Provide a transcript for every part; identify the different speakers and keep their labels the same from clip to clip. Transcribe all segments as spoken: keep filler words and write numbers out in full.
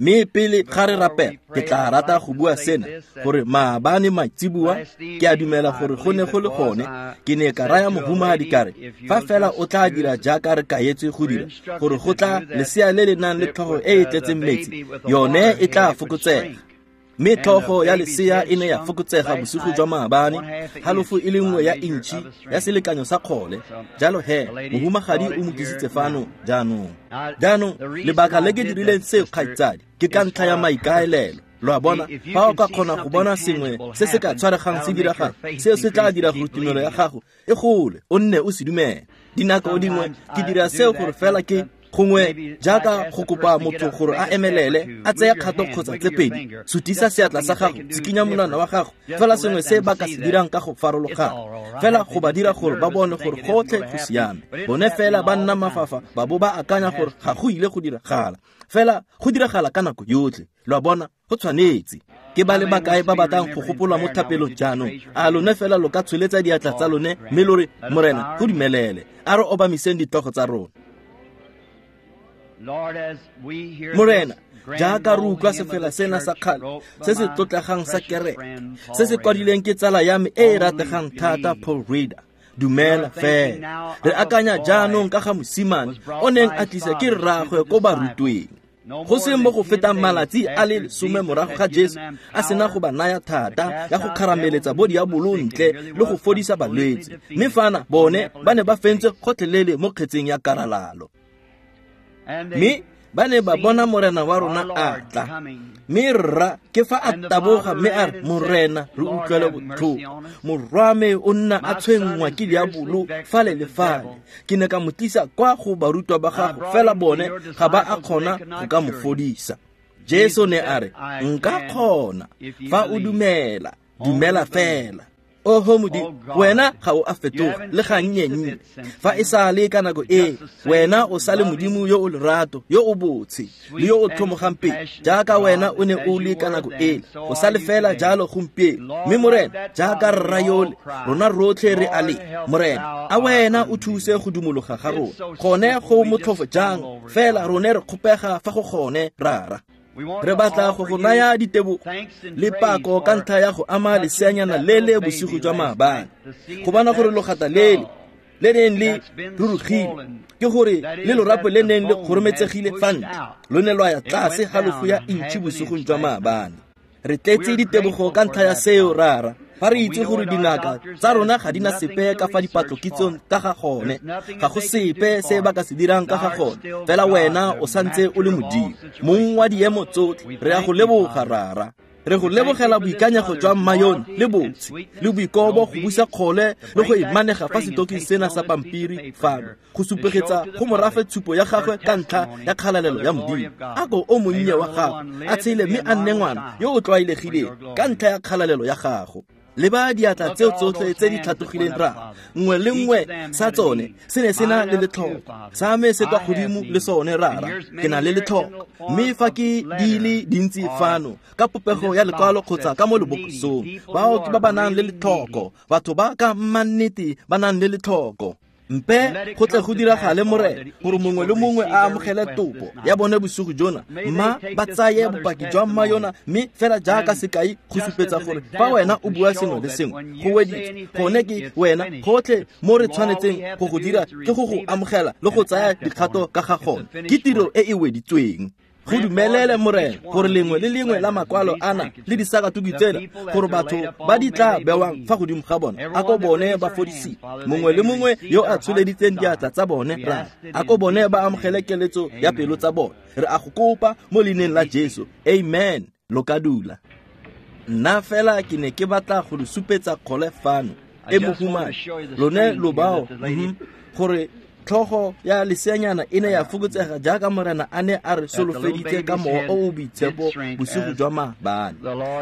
Speaker 1: Mme pele ga re rapela, ke tla rata go bua sena, gore maabane maitseboa, ke a dumela gore go ne go le gone, ke ne ka raya mohumagadi ka re, fa fela o tla dira jaaka re kaetswe go dira, gore go tla lesea le le nang le tlhogo e e tletseng metsi, yone e tla fokotsega. Mme tlhogo ya lesea e ne ya fokotsega bosigo jwa maabane, halofo e le nngwe ya intšhi ya selekanyo sa kgole. Jalo he, mohumagadi o mo tlisitse fano jaanong. Jaanong, lebaka le ke dirileng seo, kgaitsadi, ke ka ntlha ya maikaelelo. Lo a bona, fa o ka kgona go bona sengwe se se ka tshwaregang se diregang, seo se tla dira gore tumelo ya gago e gole, o nne o se dumele. Dinako dingwe ke dira seo gore fela ke gongwe jaaka go kopa motho gore a emelele, a tseye kgato kgotsa tse pedi, sutisa seatla sa gago, tshikinya monwana wa gago, fela sengwe se ba ka se dirang ka go farologana, fela go ba dira gore ba bone gore gotlhe go siame. Bone fela ba nna mafafa, ba bo ba akanya gore ga go ile go diragala, fela go diragala ka nako yotlhe. Lo a bona, go tshwanetse. Ke ba le bakae ba batlang go gopolwa mo thapelong jaanong? A lone fela lo ka tsholetsa diatla tsa lone mme lo re, Morena, go dumelele. A re obamiseng ditlogo tsa rona. Morena, jaaka re utlwa sefela sena sa kgale se se tlotlegang sa kereke, se se kwadileng ke tsala ya me e e rategang thata, Paul Reader, dumela fela. Re akanya jaanong ka ga mosimane o neng a tlisa ke rraagwe ko barutweng. Go seng mo go fetang malatsi a le lesome morago ga Jesu a sena go ba naya thata ya go kgarameletsa bo diabolo ntle le go fodisa balwetse, mme fana bone ba ne ba fentswe gotlhelele mo kgetseng ya karalalo. Mme ba ne ba bona Morena wa rona a tla, mme rra ke fa a taboga mme a re, Morena, re utlwele botlhoko, morwa me o nna a tshwenngwa ke diabolo fale le fale. Ke ne ka mo tlisa kwa go barutwa ba gago, fela bone ga ba a kgona go ka mo fodisa. Jesu ne a re, nka kgona fa o dumela, dumela fela. Oho Modimo, wena ga o a fetoga le gannyennye. Fa e sa le ka nako e, wena o sa le Modimo yo o lerato, yo o botshe, le yo o tlhomogang pele, jaaka wena o ne o le ka nako ele, o sa le fela jalo gompieno. Mme Morena, jaaka rra yole, rona rotlhe re a le. Morena, a wena o thuse go dumologa ga rona. Gone go motlhofo jang, fela rone re kgopega fa go gone, Rara. Re batla go go naya ditebogo le pako ka ntlha ya go ama leseanyana le le bosigo jwa maabane, go bona gore logata lele le neng le rurugile, ke gore le lorapo le neng le kgorometsegile fa ntle, lo ne lwa ya tlase halofo ya intšhi bosigong jwa maabane. Re tletse ditebogo ka ntlha ya seo, Rara. Fa re itse gore dingaka tsa rona ga di na sepe ka fa dipatlokitsong ka ga gone, ga go sepe se ba ka se dirang ka ga gone, fela wena o santse o le Modimo, mong wa diemo tsotlhe. Re a go leboga, Rara. Re go lebogela boikanyego jwa mmayone le botshe le boikobo go busa kgole le go imanega fa setoking sena sa pampiri fano, go supegetsa go morafe tshupo ya gagwe ka ntlha ya kgalalelo ya Modimo. A ko o monnye wa gagwe a tshele mme a nne ngwana yo o tlwaelegileng ka ntlha ya kgalalelo ya gago. Le ba diatla tseo tsotlhe tse di tlhatlogileng, ra nngwe le nngwe sa tsone se ne se na le letlhoko, sa me se kwa godimo le sone, Rara, ke na le letlhoko. Mme fa ke di le dintsi fano ka popego ya lekwalo kgotsa ka mo lebokosong, bao ke ba ba nang le letlhoko, batho ba ka mannete ba nang le letlhoko. Mpe go tle go diragale, Morena, gore mongwe le mongwe a amogele topo ya bone bosigo jona, mma ba tsaye bopaki jwa mma yona, mme fela jaaka sekai go supetsa gore fa wena o bua sengwe le sengwe go weditswe, gone ke wena. Gotlhe mo re tshwanetseng go go dira ke go go amogela le go tsaya dikgato ka ga gone, ke tiro e e weditsweng. Go dumelele, Morena, gore lengwe le lengwe la makwalo ana le disakatuku tsena, gore batho ba di tla bewang fa godimo ga bona, a ko bone ba fodisiwe. Mongwe le mongwe yo a tsholeditseng diatla tsa bone, Rara, a ko bone ba amogele keletso ya pelo tsa bone. Re a go kopa mo leineng la Jesu, amen. Lo ka dula. Nna fela ke ne ke batla go le supetsa kgole fano e mohumadi, lone lo bao, gore tlhogo ya leseanyana e ne ya fokotsega jaaka Morena a ne a re solofeditse ka mowa o o boitshepo bosigo jwa maabane.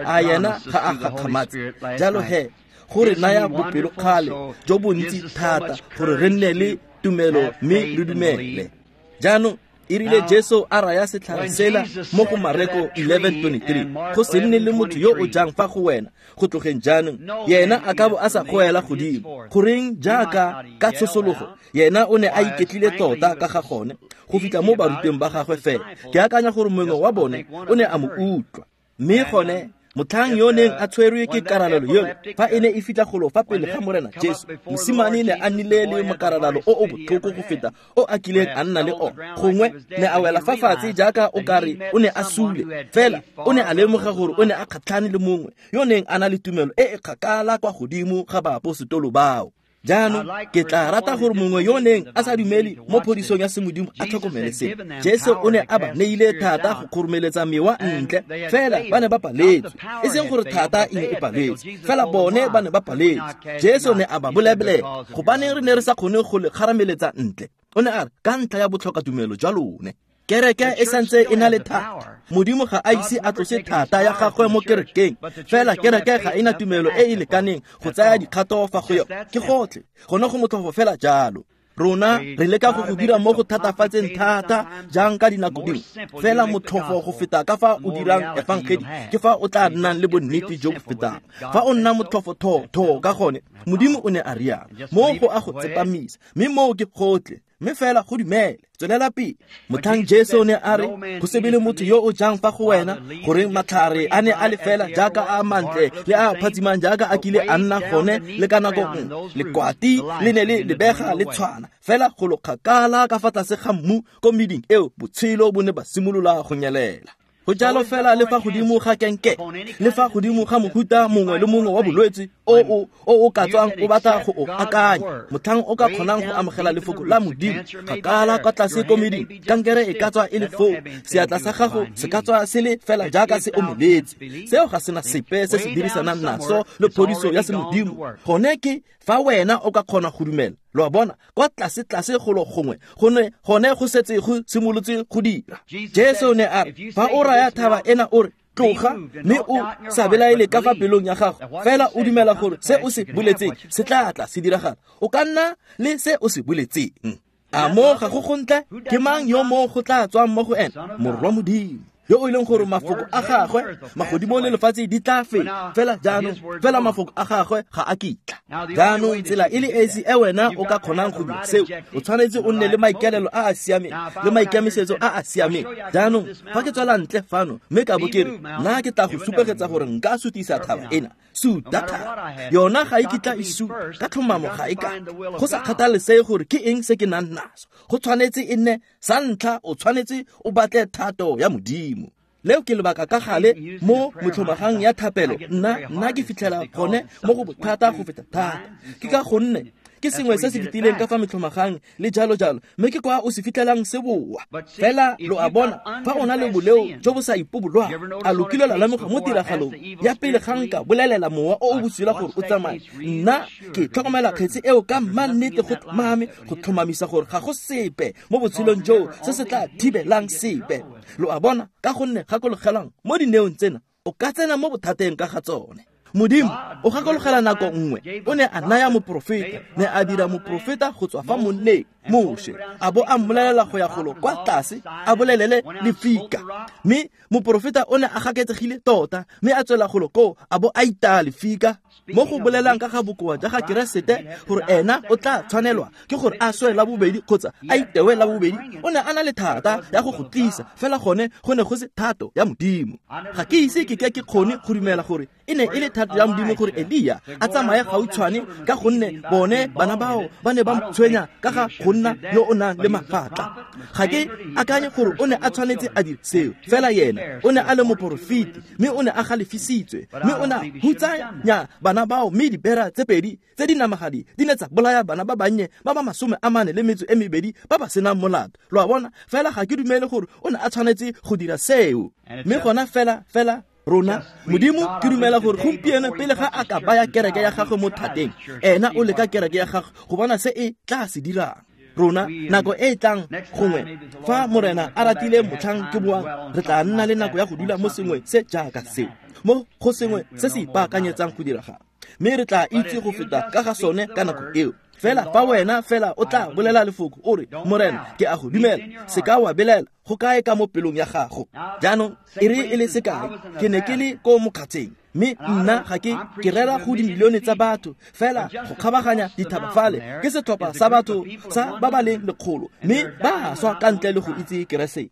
Speaker 1: A yena ga a gakgamatse? Jalo he, go re naya bopelokgale jo bontsi thata gore re nne le tumelo mme re dumele. Jaanong Erile Jesu a raya setlhare sela mo go Mareko eleven twenty-three, go se nne le motho yo o jang fa go wena go tlogeng jaanong, yena a ka bo a sa goela godimo. Goreng jaaka ka tshosologo, yena o ne a iketlile tota ka ga gone go fitlha mo barutweng ba gagwe fela. Ke akanya gore mongwe wa bone o ne a mo utlwa. Mme gone motlhang yo neng a tshwerwe ke karalelo yone, fa e ne e fitlha golo fa pele ga Morena Jesu, mosimane ne a nnile le mokaralalo o o botlhoko go feta o a kileng a nna le ona. Gongwe ne a wela fa fatshe jaaka o kare o ne a sule, fela o ne a lemoga gore o ne a kgatlhane le mongwe yo neng a na le tumelo e e kgakala kwa godimo ga baaposetolo bao. Jaanong ke tla rata gore mongwe yo neng a sa dumele mo phodisong ya semodimo a tlhokomele seno. Jesu o ne a ba neile thata go kgoromeletsa mewa ntle, fela ba ne ba paletswe. E seng gore thata e ne e paletswe, fela bone ba ne ba paletswe. Jesu ne a ba bolelela, gobaneng re ne re sa kgone go le kgarameletsa ntle? O ne a re, ka ntlha ya botlhokatumelo jwa lone. Kereke e santse e na le thata. Modimo ga a ise a tlose thata ya gagwe mo kerekeng, fela kereke ga ena tumelo e e lekaneng go tsaya dikgato fa go yone. Ke gotlhe, gone go motlhofo fela jalo. Rona re leka go go dira mo go thatafatseng thata jang ka dinako dingwe, fela motlhofo go feta ka fa o dirang efangedi ke fa o tla nnang le bonnete jo bo fetang. Fa o nna motlhofo tho ka gone, Modimo o ne a rialo, mo go a go tsepamisa, mme moo ke gotlhe. Mme fela go dumele, tswelela pele. Motlhang Jesu ne a re, go se be le motho yo o jang fa go wena, goreng matlhare a ne a le fela jaaka a mantle le a phatsimang jaaka a kile a nna gone le ka nako nngwe. Lekwati le ne le lebega le tshwana, fela go lo kgakala ka fa tlase ga mmu ko meding eo botshelo bo ne ba simolola go nyelela. Go jalo fela le fa godimo ga kenke, le fa godimo ga mohuta mongwe le mongwe wa bolwetse o o o o ka tswang o batla go o akanya. Motlhang o ka kgonang go amogela lefoko la Modimo kgakala kwa tlase ko meding, kankere e ka tswa e le foo, seatla sa gago se ka tswa se le fela jaaka se omeletse. Seo ga sena sepe se se dirisanang naso le phodiso ya semodimo. Gone ke fa wena o ka kgona go dumela. Lo a bona, kwa tlase tlase golo gongwe, gone gone go setse go simolotse go dira. Jesu ne a re, fa o raya thaba ena o re, tloga, mme o sa belaele ka fa pelong ya gago, fela o dumela gore se o se boletseng se tla tla se diragala, o ka nna le se o se boletseng. A mo ga go gontle? Ke mang yo mo go tla tswang mo go ena? Morwa Modimo, yo o ileng gore mafoko a gagwe magodimo le lefatshe di tla feta, fela jaanong fela mafoko a gagwe ga a kitla. Jaanong tsela e le esi e wena o ka kgonang go dira seo, o tshwanetse o nne le maikaelelo a a siameng le maikemisetso a a siameng. Jaanong fa ke tswela ntle fano mme ka bo ke re, nna ke tla go supegetsa gore nka sutisa thaba ena, suta thaba yona ga e kitla e suta, ka tlhomamo ga e ka. Go sa kgathalesege gore ke eng se ke nang naso, go tshwanetse e nne sa ntlha o tshwanetse o batle thato ya Modimo. Leo ke lebaka ka gale mo motlhomagang ya thapelo, nna nna ke fitlhela gone mo go bothata go feta thata. Ke ka gonne ke sengwe se se fetileng ka fa metlhomagang le jalo jalo, mme ke kwa o se fitlhelang se boa. Fela lo a bona, fa o na le boleo jo bo sa ipobolwang, a lo kile la lemoga mo tiragalong ya pele ga nka bolelela mowa o o bosula gore o tsamaye, nna ke tlhokomela kgetse eo ka mannete go tlhomame go tlhomamisa gore ga go sepe mo botshelong joo se se tla thibelang sepe. Lo a bona, ka gonne gakologelang mo dineong tsena o ka tsena mo bothateng ka ga tsone. Modimo o gakologela nako nngwe o ne a naya moprofeta, ne a dira moprofeta go tswa fa monneng Moshe, a bo a mmolelela go ya golo kwa tlase a bolelele lefika. Mme moprofeta o ne a gaketsegile tota, mme a tswela golo koo a bo a itaya lefika. Mo go bolelang ka ga bokoa ja ga Keresete gore ena o tla tshwanelwa ke gore a swe la bobedi kgotsa a itewe la bobedi, o ne a na le thata ya go go tlisa, fela gone go ne go se thato ya Modimo. Ga ke ise ke ke ke kgone go dumela gore e ne e le thato ya Modimo gore Elia a tsamaye gautshwane, ka gonne bone bana bao ba ne ba tshwenya ka ga go nna yo o nang le mafatla. Ga ke akanye gore o ne a tshwanetse a dire seo, fela yena o ne a le moporofeti, mme o ne a galefisitswe, mme o ne a hutsanya bana bao, mme dibera tse pedi tse di namagadi di ne tsa bolaya bana ba bannye ba ba masome a mane le metso e mebedi ba ba senang molato. Lo a bona, fela ga ke dumele gore o ne a tshwanetse go dira seo. Mme gona fela fela rona Modimo ke dumela gore gompieno pele ga a ka baya kereke ya gagwe mo thateng, ena o leka kereke ya gagwe go bona se e tla se dirang. Rona nako e tlang gongwe fa Morena a ratile motlhang ke boang, re tla nna le nako ya go dula mo sengwe se jaaka seo, mo go sengwe se se ipaakanyetsang go diragala, mme re tla itse go feta ka ga sone ka nako eo. Fela fa wena fela o tla bolela lefoko o re Morena ke a go dumela, se ka wa belela go kae ka mo pelong ya gago. Jaanong e re e le sekai, ke ne ke le ko mokgatsheng, mme nna ga ke ke rera go dimilione tsa batho fela go kgabaganya dithaba fale ke setlhopha sa batho sa ba ba leng lekgolo, mme ba swa ka ntle le go itse Keresete.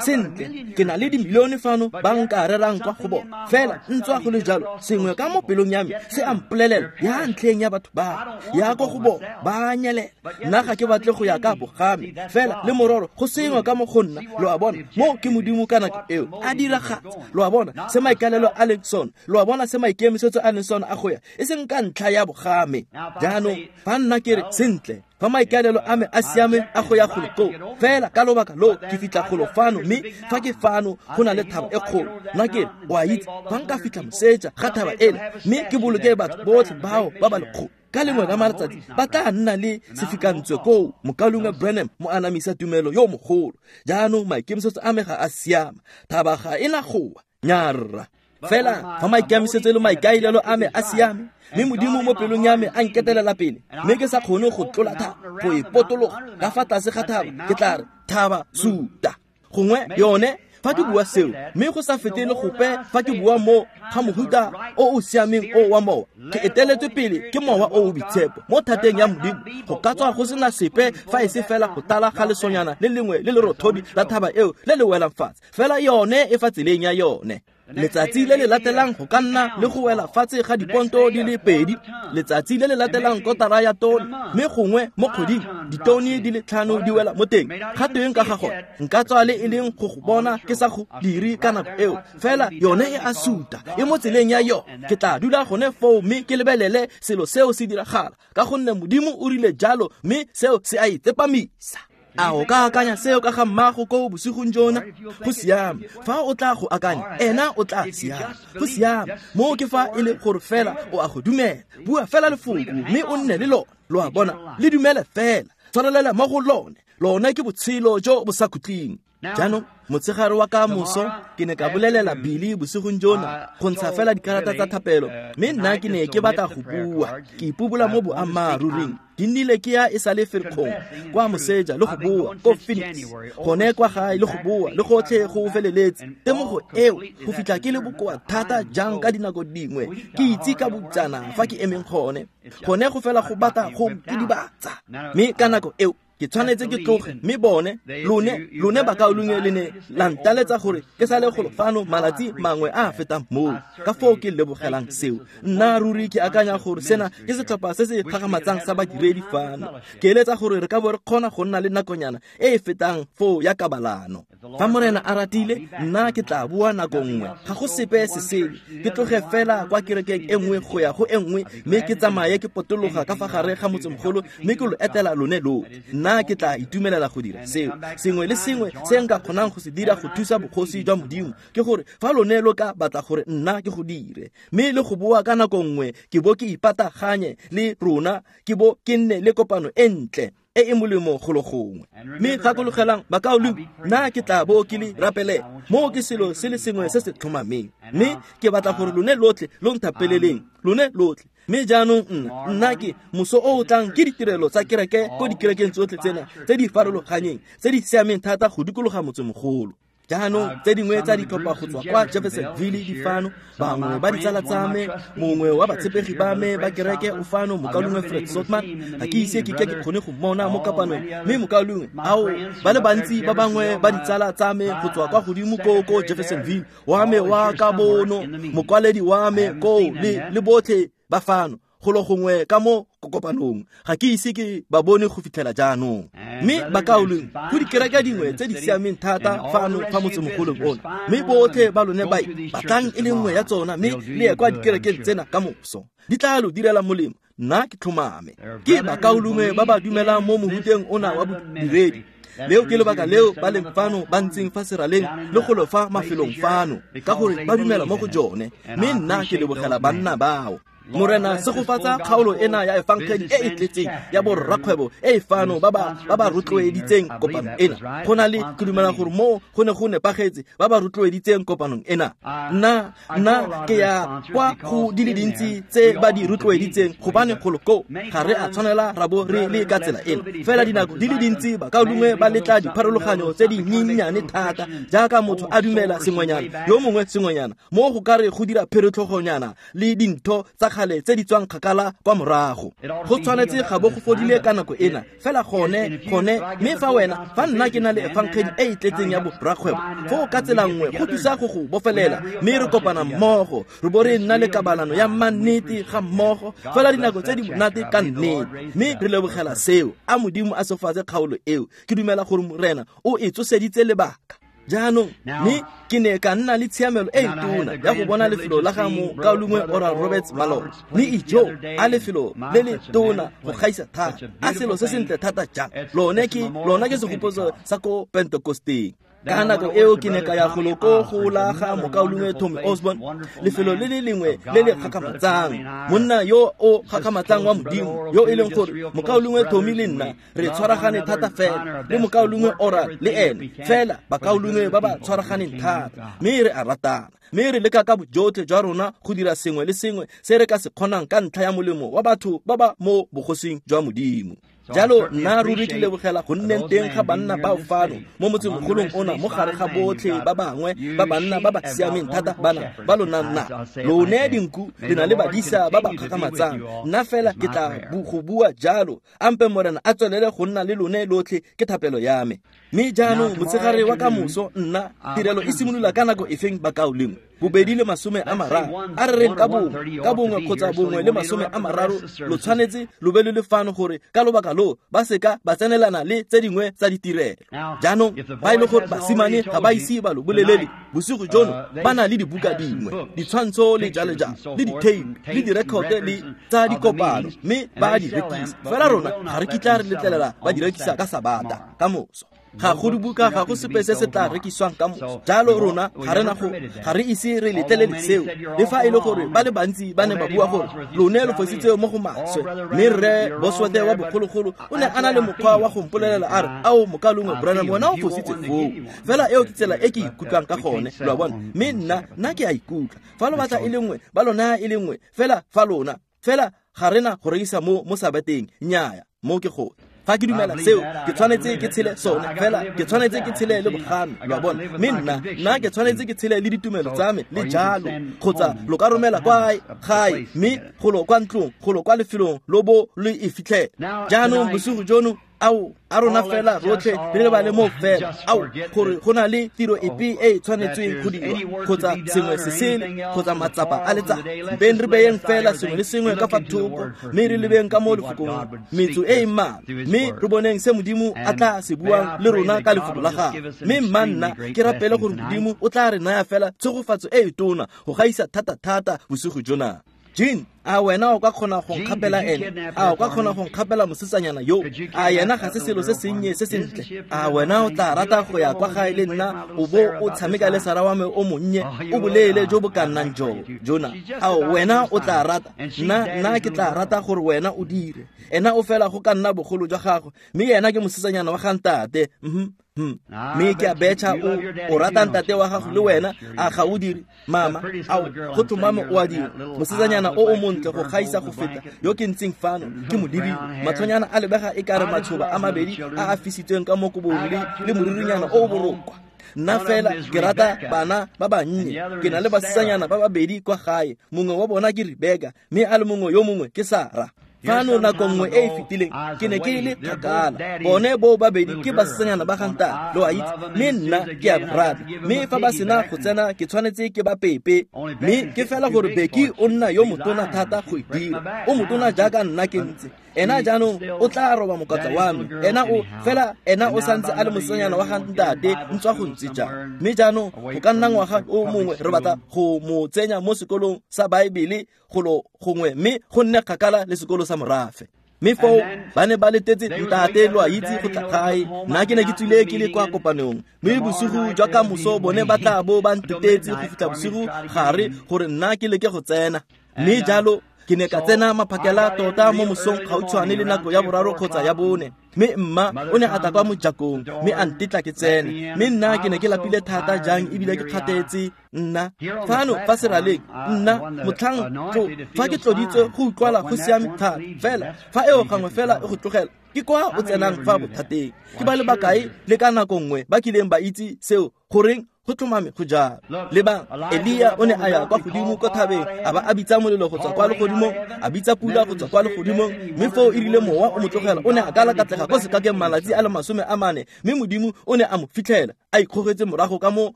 Speaker 1: Sentle, ke na le dimilione fano ba nka rerang kwa go bona, fela ntswa go le jalo sengwe ka mo pelong ya me se a mpolelela ya ntlheng ya batho ba ya ko go bona ba nyelela. Nna ga ke batle go ya ka bogame, fela le mororo go sengwe ka mo go nna, lo a bona, mo ke Modimo ka nako eo a diragatsa. Lo a bona se maikalelo a leng sone, lo a bona se maikemisetso a leng sone a go ya, e seng ka ntlha ya bogame. Jaanong fa nna ke re sentle, fa maikaelelo a me a siame a go ya golo koo, fela ka lobaka lo ke fitlha golo fano, mme fa ke fano go na le thaba e kgolo. Nna ke re o a itse, fa nka fitlha moseja ga thaba ena mme ke boloke batho botlhe bao ba ba lekgolo, ka lengwe la matsatsi ba tla nna le sefikantswe koo mokaulengwe Branham mo anamisa tumelo yo mogolo. Jaanong maikemisetso a me ga a siama, thaba ga e na goa nyarra. Fela fa maikemisetso le maikaelelo a me a siame, mme Modimo mo pelong ya me a nketelela pele, mme ke sa kgone go tlola thaba go e potologa ka fa tlase ga thaba, ke tla re thaba suta. Gongwe yone fa ke bua seo, mme go sa fetele gope fa ke bua mo ga mohuta o o siameng o wa mowa, ke eteletswe pele ke mowa o o boitshepo mo thateng ya Modimo. Go ka tswa go sena sepe fa e se fela go tala ga lesonyana le lengwe le lerothodi la thaba eo le le welang fatshe, fela yone e fa tseleng ya yone. Letsatsi le le latelang go ka nna le go wela fatshe ga diponto di le pedi, letsatsi le le latelang kotara ya tone, mme gongwe mo kgweding ditone di le tlhano di wela mo teng. Ga teng ka ga gone nka tswa le e leng go go bona ke sa go dire ka nako eo, fela yone e a suta, e mo tseleng ya yone. Ke tla dula gone foo mme ke lebelele selo seo se diragala, ka gonne Modimo o rile jalo, mme seo se a itsepamisa. A o ka akanya seo ka ga mmago ko bosigong jona? Go siame fa o tla go akanya, ena o tla siama. Go siame mo ke fa e le gore fela o a go dumela. Bua fela lefoko mme o nne le lone. Lo a bona, le dumele fela, tshwarelela mo go lone. Lone ke botshelo jo bo sa khutleng. Jaanong motshegare wa ka moso ke ne ka bolelela Billy bosigong jona go ntsha fela dikarata tsa thapelo, mme nna ke ne ke batla go bua, ke ipobola mo boammaaruring. Ke nnile ke ya e sa le Ferikgong kwa moseja le go boa ko Phoenix, gone kwa gae le go boa le gotlhe go feleletse. Temogo eo go fitlha ke le bokoa thata jang ka dinako dingwe, ke itse ka botsana fa ke emeng gone, gone go fela go batla go kidibatsa. Mme ka nako eo ke tshwanetse ke tloge, mme bone lone lone bakaulengwe le ne la ntaletsa gore ke sale golo fano malatsi mangwe a a fetang moo. Ka foo ke lebogelang seo. Nna ruri ke akanya gore sena ke setlhopha se se gagamatsang sa badiredi fano. Ke eletsa gore re ka bo re kgona go nna le nakonyana e e fetang foo ya kabalano. Fa Morena a ratile, nna ke tla bua nako nngwe, ga go sepe se sele. Ke tloge fela kwa kerekeng e nngwe go ya go e nngwe, mme ke tsamaye ke potologa ka fa gare ga motsemogolo, mme ke lo etela lone lotlhe. Nna ke tla itumelela go dira seo. Sengwe le sengwe se nka kgonang go se dira go thusa bogosi jwa Modimo ke gore fa lone lo ka batla gore nna ke go dire, mme le go boa ka nako nngwe ke bo ke ipataganye le rona, ke bo ke nne le kopano e ntle e e molemo golo gongwe. Mme gakologelang bakaulengwe, nna ke tla bo ke le rapelela. Moo ke selo se le sengwe se se tlhomameng, mme ke batla gore lone lotlhe lo nthapeleleng, lone lotlhe. Mme jaanong nna nna ke moso o o tlang ke ditirelo tsa kereke ko dikerekeng tsotlhe tsena tse di farologanyeng tse di siameng thata go dikologa motsemogolo. Jaanong tse dingwe tsa ditlhopha go tswa kwa Jeffersonville di fano, bangwe ba ditsala tsa me, mongwe wa batshepegi ba me ba kereke o fano, mokaulengwe Fred Sotman. Ga ke ise ke ke ke kgone go mmona mo kopanong, mme mokaulengwe ao ba le bantsi ba bangwe ba ditsala tsa me go tswa kwa godimo ko ko Jeffersonville, wa me wa ka bono, mokwaledi wa me koo le le botlhe ba fano golo gongwe ka mo kopanong. Ga ke ise ke ba bone go fitlhela jaanong. Mme bakaulengwe, go dikereke dingwe tse di siameng thata fano fa motsemogolong ono, mme botlhe ba lone ba batlang e le nngwe ya tsona, mme le ye kwa dikerekeng tsena ka moso, di tla lo direla molemo. Nna ke tlhomame ke bakaulengwe ba ba dumelang mo mohuteng ona wa bodiredi. Leo ke lebaka leo ba leng fano ba ntseng fa seraleng le golo fa mafelong fano, ka gore ba dumela mo go jone. Mme nna ke lebogela banna bao. Morena segofatsa kgaolo ena ya efangedi e e tletseng ya borrakgwebo e e fano ba ba ba ba rotloeditseng kopano ena. Go na le ke dumela gore mo go ne go nepagetse ba ba rotloeditseng kopanong ena. Nna nna ke ya kwa go di le dintsi tse ba di rotloeditseng gobane golo koo ga re a tshwanela ra bo re le ka tsela ena. Fela dinako di le dintsi bakaulengwe ba letla dipharologanyo tse di nyenyane thata jaaka motho a dumela sengwenyana yo mongwe sengwenyana mo go ka re go dira pheretlhogonyana le dintho tsa kgale tse di tswang kgakala kwa morago. Go tshwanetse ga bo go fodile ka nako ena fela gone gone mme fa wena fa nna ke na le efangedi e e tletseng ya borrakgwebo foo ka tsela nngwe go thusa go go bofelela mme re kopana mmogo re bo re nna le kabalano ya mannete ga mmogo fela dinako tse di monate ka nnete mme re lebogela seo. A Modimo a segofatse kgaolo eo. Ke dumela gore Morena o e tsoseditse lebaka. Jaanong mme ke ne ka nna le tshiamelo e tona ya go bona lefelo la ga mokaulengwe Oral Roberts maloba mme ijo a lefelo le le tona go gaisa thata a selo se sentle thata jang. Lone ke lona ke segopotso sa ko Pentekosteng. Ka nako eo ke ne ka ya golo ko go la ga mokaulengwe Tommy Osborne, lefelo le le lengwe le le gakgamatsang, monna yo o gakgamatsang wa Modimo yo e leng gore mokaulengwe Tommy le nna re tshwaragane thata fela le mokaulengwe Oral le ene fela bakaulengwe ba ba tshwaraganeng thata mme re a ratana mme re leka ka bojotlhe jwa rona go dira sengwe le sengwe se re ka se kgonang ka ntlha ya molemo wa batho ba ba mo bogosing jwa Modimo. Jalo nna ruri ke lebogela go nneng teng ga banna bao fano mo motsemogolong ona mo gare ga botlhe ba bangwe ba banna ba ba siameng thata bana ba lona nna lone dinku le na le badisa ba ba kgakgamatsang. Nna fela ke tla go bua jalo ampe Morena a tswelele go nna le lone lotlhe ke thapelo ya me. Mme jaanong motshegare wa ka moso nna tirelo e simolola ka nako efeng bakaulengwe? Bobedi le masome a mararo a re reng ka bongwe ka bongwe kgotsa bongwe le masome a mararo lo tshwanetse lo be le le fano gore ka lobaka lo ba seka ba tsenelana le tse dingwe tsa ditirelo. Jaanong ba e le gore basimane ga ba ise ba lo bolelele bosigo jono ba na le dibuka dingwe ditshwantsho le jalo jalo le di-tape le direkote le tsa dikopano mme ba di rekisa fela rona ga re kitla re letlelela ba di rekisa ka Sabata ka moso. Ga go dibuka ga go sepe se se tla rekisiwang ka moso. Jalo rona ga re na go ga re ise re letlelele seo le fa e le gore ba le bantsi ba ne ba bua gore lone lo fositse mo go maswe mme rre Bosworth wa bogologolo o ne a na le mokgwa wa go mpolelela a re ao mokaulengwe Branham wena o fositse foo fela eo ke tsela e ke ikutlwang ka gone lo a bona mme nna nna ke a ikutlwa fa lo batla e le nngwe ba lo naya e le nngwe fela fa lona fela ga re na go rekisa mo mo Sabateng nnyaya mo ke gone. Fa ke dumela seo ke tshwanetse ke tshele sone fela ke tshwanetse ke tshele le bogame lo a bona mme nna nna ke tshwanetse ke tshele le ditumelo tsa me le jalo kgotsa lo ka romela kwa gae mme golo kwa ntlong golo kwa lefelong lo bo lo e fitlhela. Jaanong bosigo jono ao a rona fela rotlhe re lebale mo fela ao gore go na le tiro epe e e tshwanetsweng go dirwa kgotsa sengwe se sele kgotsa matsapa a letsatsi mpeng re beyeng fela sengwe le sengwe ka fa thoko mme re lebeng ka mo lefokong metso e e mmalwa mme re boneng se Modimo a tla se buang le rona ka lefoko la gagwe. Mme mma nna ke rapele gore Modimo o tla re naya fela tshegofatso e e tona go gaisa thata-thata bosigo jona. Jean, a wena o ka kgona go nkgapela ene? A o ka kgona go nkgapela mosetsanyana yo? A yena ga se selo se sennye se sentle? A wena o tla rata go ya kwa gae le nna o bo o tshameka le Sara wa me o monnye o boleele jo bo ka nnang joo jona? A wena o tla rata? Nna nna ke tla rata gore wena o dire. Ena o fela go ka nna bogolo jwa gagwe mme yena ke mosetsanyana wa ga ntate. Mhm. Mme ke a betšha o o rata ntate wa gago le wena a ga o dire mama ao go tlhomame o a dira. Mosetsanyana o o montle go gaisa go feta yo ke ntseng fano ke mo lebile matlhonyana a lebega e kare matshoba a mabedi a a fisitsweng ka mo kobong le le moririnyana o o borokwa. Nna fela ke rata bana ba bannye ke na le basetsanyana ba babedi kwa gae mongwe wa bona ke Rebeka mme a le mongwe yo mongwe ke Sara. Fano nako nngwe e e fetileng ke ne ke le kgakala bone bo babedi ke basetsanyana ba ga ntate lo a itse mme nna ke a ba rata mme fa ba sena go tsena ke tshwanetse ke ba pepe mme ke fela gore Beki o nna yo motona thata go e dira o motona jaaka nna ke ntse ena jaanong o tla roba mokatla wa me ena o fela ena o santse a le mosetsanyana wa ga ntate ntswa go ntse jang mme jaanong go ka nna ngwaga o mongwe re batla go mo tsenya mo sekolong sa Baebele golo gongwe mme go nne kgakala le sekolo sa morafe. Mme foo ba ne ba letetse ntate lo a itse go tla gae nna ke ne ke tswile ke le kwa kopanong mme bosigo jwa ka moso bone ba tla bo ba ntetetse go fitlha bosigo gare gore nna ke leke go tsena mme jalo Ke ne ka tsena maphakela tota mo mosong gautshwane le nako ya boraro kgotsa ya bone. Mme mma o ne a tla kwa mojakong mme a ntetla ke tsene. Mme nna ke ne ke lapile thata jang ebile ke kgathetse nna. Fano fa seraleng nna motlhang tlo fa ke tloditswe go utlwala go siame thata. Fela fa eo gangwe fela e go tlogela ke kwa o tsenang fa bothateng. Ke ba le bakae le ka nako nngwe ba kileng ba itse seo goreng go tlhomame go jalo. Lebang, Elia o ne a ya kwa godimo ko thabeng a ba a bitsa molelo go tswa kwa legodimong, a bitsa pula go tswa kwa legodimong, mme foo e rile mowa o mo tlogela o ne a kalakatlega ko sekakeng malatsi a le masome a mane, mme Modimo o ne a mo fitlhela a ikgogetse morago ka mo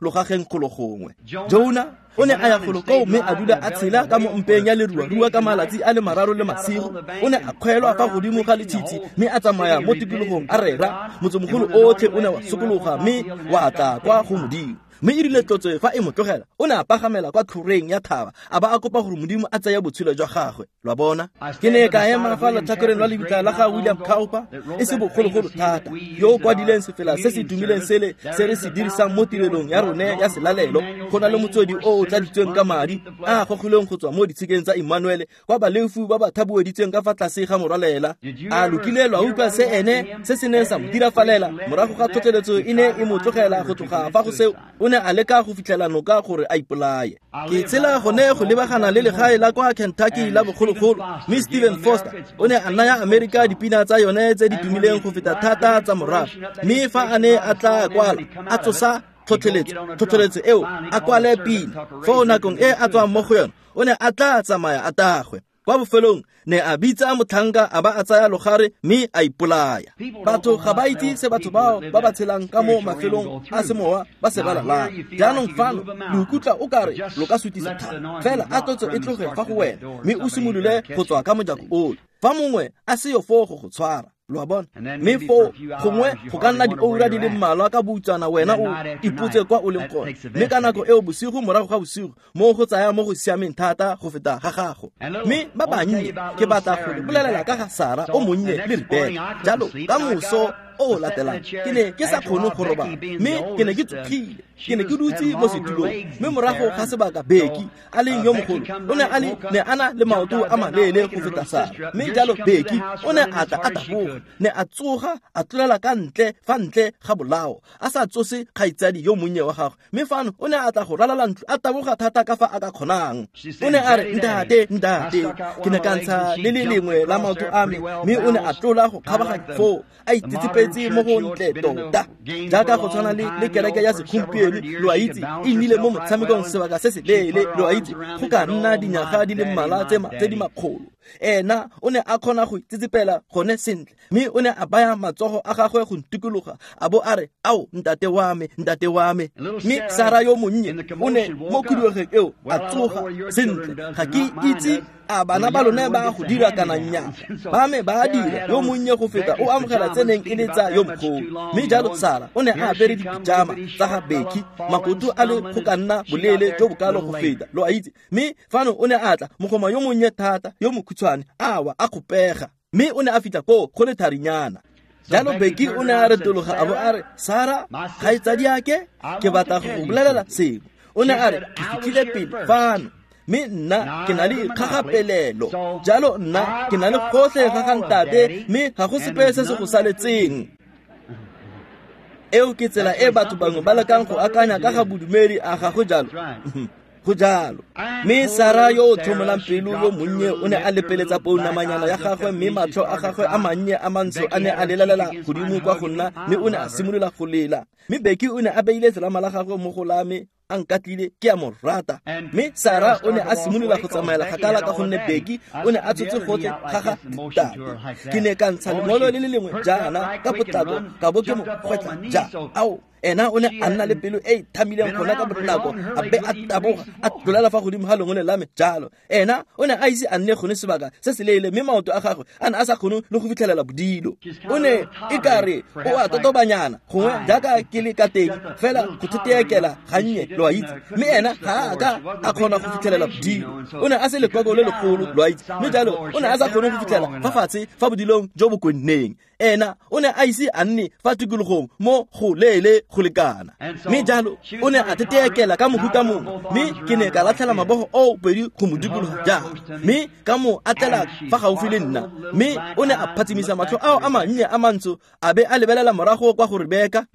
Speaker 1: logageng golo gongwe. Jona o ne a ya golo koo mme a dula a tshela ka mo mpeng ya leruarua ka malatsi a le mararo le masigo. O ne a kgwelwa fa godimo ga letshitshi mme a tsamaya mo tikologong a rera. Motsemogolo otlhe o ne wa sokologa mme wa tla kwa go Modimo. Mme e rile tlotso fa e mo tlogela o ne a pagamela kwa tlhoreng ya thaba a ba a kopa gore Modimo a tseye botshelo jwa gagwe. Lwa bona, ke ne ka ema fa letlhakoreng lwa lebitla la ga William Cowper e se bogologolo thata, yo o kwadileng sefela se se tumileng sele se re se dirisang mo tirelong ya rone ya selalelo. Go na le motswedi o o tladitsweng ka madi a a gogilweng go tswa mo ditshikeng tsa Emmanuel kwa baleofu ba ba thabueditsweng ka fa tlase ga morwalela. A lokile lwa utlwa se ene se se neng sa mo dirafalela morago ga tlhotlheletso e ne e mo tlogela go tloga fa go seo. O ne a leka go fitlhela noka gore a ipolaye. Ke tshela gone go lebagana le legae la kwa Kentucky la bogologolo, mme Stephen Foster o ne a naya Amerika dipina tsa yone tse di tumileng go feta thata tsa morafe. Mme fa a ne a tla kwala a tsosa tlhotlheletso tlhotlheletso eo a kwale pina, foo nakong e a tswang mo go yone o ne a tla tsamaya a tagwe. Kwa bofelong ne a bitsa motlhanka a ba a tsaya logare mme a ipolaya. Batho ga ba itse se batho bao ba ba tshelang ka mo mafelong a semowa ba se balalang. Jaanong fano lo ikutlwa o kare lo ka sutisa thata, fela a tlotso e tloge fa go wena mme o simolole go tswa ka mojako ono. Fa mongwe a seyo foo go go tshwara, lo a bona, mme foo gongwe go ka nna dioura di le mmalwa ka boutswana wena o ipotse kwa o leng gone. Mme ka nako eo bosigo morago ga bosigo mo go tsaya mo go siameng thata go feta ga gago. Mme ba bannye ke batla go le bolelela ka ga Sara o monnye le Rebeka. Jalo ka moso o latelang ke ne ke sa kgone go robala mme ke ne ke tsogile, ke ne ke dutse mo setulong. Mme morago ga sebaka Becky a leng yo mogolo o ne a le ne a na le maoto a maleele go feta Sara. Mme jalo Becky o ne a tla a taboga, ne a tsoga a tlolela ka ntle fa ntle ga bolao a sa tsose kgaitsadi yo monnye wa gagwe. Mme fano o ne a tla go ralala ntlo a taboga thata ka fa a ka kgonang. O ne a re, ntate ntate, ke ne ka ntsha le le lengwe la maoto a me. Mme o ne a tlola go kgabaganya foo a itsetsepetse mo go ntle tota, jaaka go tshwana le le kereke ya segompieno. Lo a itse e nnile mo motshamekong sebaka se se leele, lo a itse go ka nna dinyaga di le mmalwa tse di makgolo. Ena o ne a kgona go itsetsepela gone sentle, mme o ne a baya matsogo a gagwe go ntikologa a bo a re, ao ntate wa me, ntate wa me. Mme Sara yo monnye o ne mo khuduegeng eo a tsoga sentle. Ga ke itse a bana ba lone ba go dira kana nnyaa, ba me ba dira, yo monnye go feta o amogela tse neng e le tsa yo mogolo. Mme jalo Sara o ne a apere dipijama tsa ga Becky, makoto a le go ka nna boleele jo bokalo go feta, lo a itse. Mme fano o ne a tla mogoma yo monnye thata yo mokhutshwane a wa a kgopega, mme o ne a fitlha koo go le tharinyana. Jalo Becky o ne a retologa a bo a re, Sara kgaitsadiake, ke batla go go bolelela sengwe. O ne a re, ke fitlhile pele fano mme nna ke na le kgagapelelo, jalo nna ke na le gotlhe ga ga ntate mme ga go sepe se se go saletseng. Eo ke tsela e batho bangwe ba lekang go akanya ka ga bodumedi, a ga go jalo? Go jalo. Mme Sara yo o tlhomolang pelo yo monnye o ne a lepeletsa pounamanyana ya gagwe, mme matlho a gagwe a mannye a mantsho a ne a lelalela godimo kwa go nna, mme o ne a simolola go lela. Mme Becky o ne a beile selama la gagwe mo go la me a nkatlile, ke a mo rata. Mme Sara o ne a simolola go tsamaela kgakala ka gonne Becky o ne a tshotse gotlhe ga ga ntate. Ke ne ka ntsha lengolo le le lengwe jaana ka potlako ka bo ke mo gwetlha ja. Ao, ena o ne a nna le pelo e e thamileng gona ka bonako, a be a taboga a tlolela fa godimo ga lengole la me jalo. Ena o ne a ise a nne gone sebaka se se leele, mme maoto a gagwe a ne a sa kgone le go fitlhelela bodilo. O ne e kare o a totobanyana gongwe jaaka ke le ka teng, fela go theteekela gannye, lo a itse. Mme ena ga a ka a kgona go fitlhelela bodilo, o ne a se lekoko le legolo, lo a itse. Mme jalo o ne a sa kgone go fitlhela fa fatshe fa bodilong jo bo kwenneng. Ena o ne a ise a nne fa tikologong mo go leele go lekana. Mme jalo o ne a teteekela ka mohuta mongwe, mme ke ne ka latlhela mabogo oo pedi go mo dikologa jang, mme ka mo atlela fa gaufi le nna. Mme o ne a phatsimisa matlho ao a mannye a mantsho a be a lebelela morago kwa go Rebeka.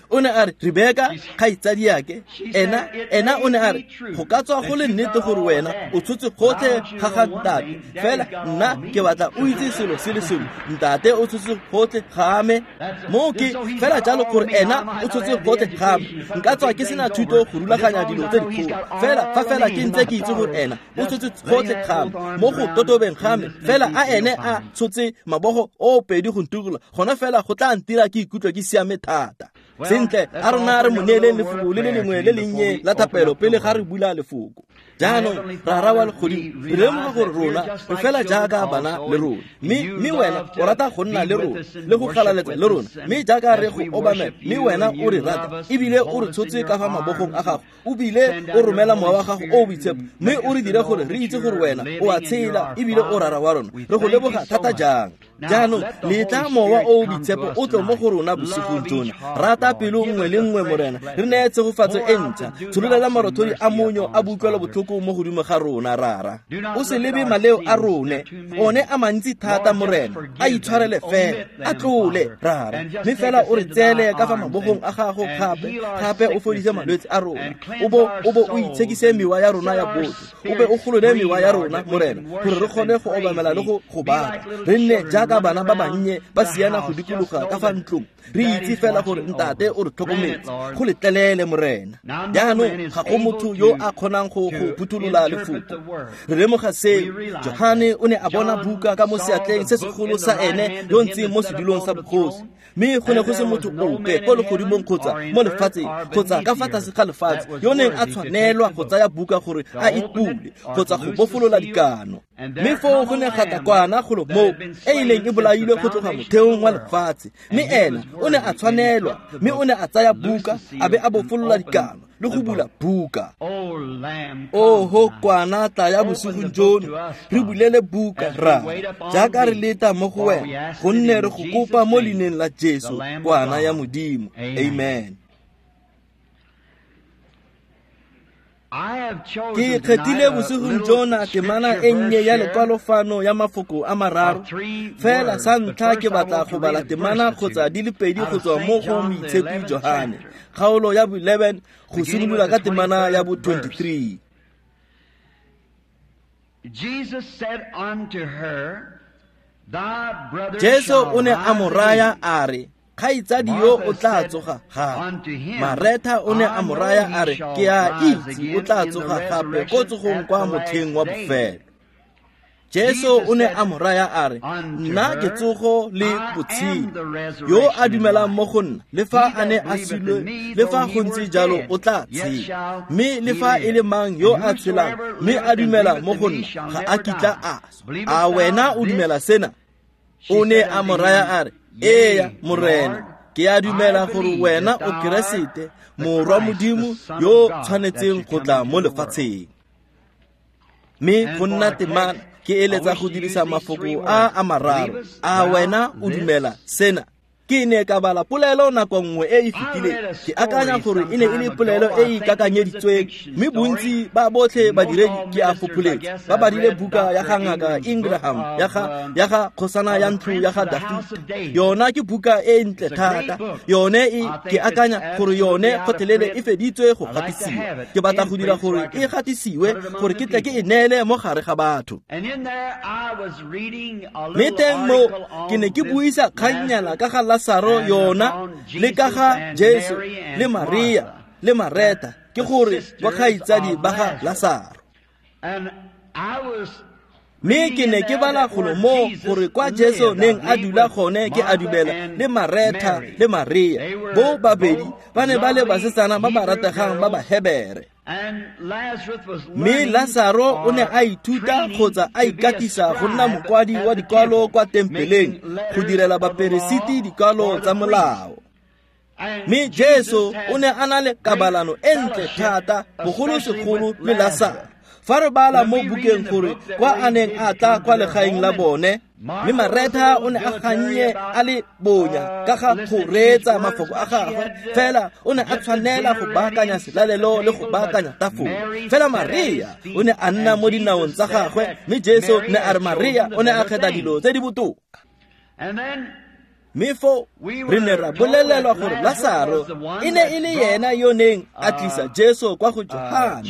Speaker 1: O ne a re, Rebeka, kgaitsadiake. Ena ena o ne a re, go ka tswa go le nnete gore wena o tshotse gotlhe ga ga ntate, fela nna ke batla o itse selo se le sengwe, ntate o tshotse gotlhe ga me. Moo ke fela jalo gore ena o tshotse gotlhe ga me. Nka tswa ke sena thuto go rulaganya dilo tse dikgolo, fela fa fela ke ntse ke itse gore ena o tshotse gotlhe ga me mo go totobeng ga me, fela a ene a tshotse mabogo o pedi go ntukula gona fela go tla ntira ke ikutlwa ke siame thata. Sentle, a rona re mo neeleng lefoko le le lengwe le lennye la thapelo pele ga re bula lefoko. Jaanong Rara wa legodimo, re lemoga gore rona re fela jaaka bana le rona, mme mme wena o rata go nna le rona le go galaletsa le rona, mme jaaka re go obamela, mme wena o re rata ebile o re tshotse ka fa mabogong a gago, o bile o romela mowa wa gago o o boitshepo, mme o re dire gore re itse gore wena o a tshela ebile o Rara wa rona. Re go leboga thata jang. Jaanong letla mowa o o boitshepo o tle mo go rona bosigong jona. Rata pelo nngwe le nngwe, Morena, re neye tshegofatso e ntšha. Tshololela marothodi a monyo a boutlwelo botlhoko mo godimo ga rona, Rara. O se lebe maleo a rone, one a mantsi thata, Morena, a itshwarele fela, a tlole, Rara, mme fela o re tseele ka fa mabogong a gago gape, gape o fodise malwetse a rona, o bo o bo o itshekise mewa ya rona ya botho, o be o golole mewa ya rona, Morena, gore re kgone go obamela le go go baka. Re nne jaaka bana ba bannye ba siana go dikologa ka fa ntlong, re itse fela gore ntate o re tlhokometse. Go letlelele, Morena. Jaanong ga go motho yo a kgonang go go phuthulola lefoko. Re lemoga seo. Johane o ne a bona buka ka mo seatleng se segolo sa ene yo ntseng mo sedulong sa bogosi, mme go ne go se motho ope ko legodimong kgotsa mo lefatsheng kgotsa ka fa tlase ga lefatshe yo neng a tshwanelwa go tsaya buka gore a e bule kgotsa go bofolola dikano. Mme foo go ne ga tla kwana golo moo e ileng e bolailwe go tloga motheong wa lefatshe, mme ena o ne a tshwanelwa, mme o ne a tsaya buka a be a bofolola dikano le go bula buka. Oho kwana, tla ya bosigong jono, re bulele buka, Rara, jaaka re leta mo go wena, gonne re go kopa mo leineng la Jesu, kwana ya Modimo. Amen. Ke kgethile bosigong jona temana e nnye ya lekwalofano ya mafoko a mararo. Fela sa ntlha ke batla go bala temana kgotsa di le pedi go tswa mo go Moitshepi Johane, kgaolo ya bo eleven go simolola ka temana ya bo twenty-three. Jesu o ne a mo raya a re, kgaitsadi yo o tla tsoga gape. Maretha o ne a mo raya a re, ke a itse o tla tsoga gape ko tsogong kwa motlheng wa bofelo. Jesu o ne a mo raya a re, nna ke tsogo le botshelo, yo a dumelang mo go nna, le fa a ne a sule, le fa go ntse jalo o tla tshela, mme le fa e le mang yo a tshelang mme a dumela mo go nna ga a kitla a swa. A wena o dumela sena? O ne a mo raya a re, eya, Morena, ke a dumela gore wena o Keresete, morwa Modimo yo tshwanetseng go tla mo lefatsheng. Mme go nna temana ke eletsa go dirisa mafoko a a mararo. A wena o dumela sena? Ke ne ka bala polelo nako nngwe e e fetileng, ke akanya gore e ne e le polelo e e ikakanyeditsweng, mme bontsi ba botlhe badiredi ke a fopholetsa ba badile buka ya ga Ngaka Ingraham ya ga ya ga kgosana ya ntlo ya ga Dafita. Yona ke buka e ntle thata, yone e ke akanya gore yone gotlhelele e feditswe go gatisiwa. Ke batla go dira gore e gatisiwe gore ke tle ke e neele mo gare ga batho. Mme teng mo ke ne ke buisa kgannyana ka ga Lazaro yona le ka ga Jesu le Maria le Mareta, ke gore ba kgaitsadi ba ga Lazaro. Mme ke ne ke bala golo mo gore kwa Jesu neng a dula gone ke a dumela le Mareta le Maria, bo babedi ba ne ba le basetsana ba ba rategang ba Bahebere. Mme Lazaro o ne a ithuta kgotsa a ikatisa go nna mokwadi wa dikwalo kwa tempeleng go direla baperesiti dikwalo tsa molao. Mme Jesu o ne a na le kabalano e ntle thata, bogolosegolo le Lazaro. Fa re bala mo bukeng gore kwa a neng a tla kwa legaeng la bone, mme Maretha o ne a gannye a le bonya ka ga go reetsa mafoko a gagwe, fela o ne a tshwanela go baakanya selalelo le go baakanya tafole. Fela Maria o ne a nna mo dinaong tsa gagwe, mme Jesu ne a re Maria o ne a kgetha dilo tse di botoka. Mme foo re ne ra bolelelwa gore Lasaro e ne e le yena yo neng a tlisa Jesu kwa go Johane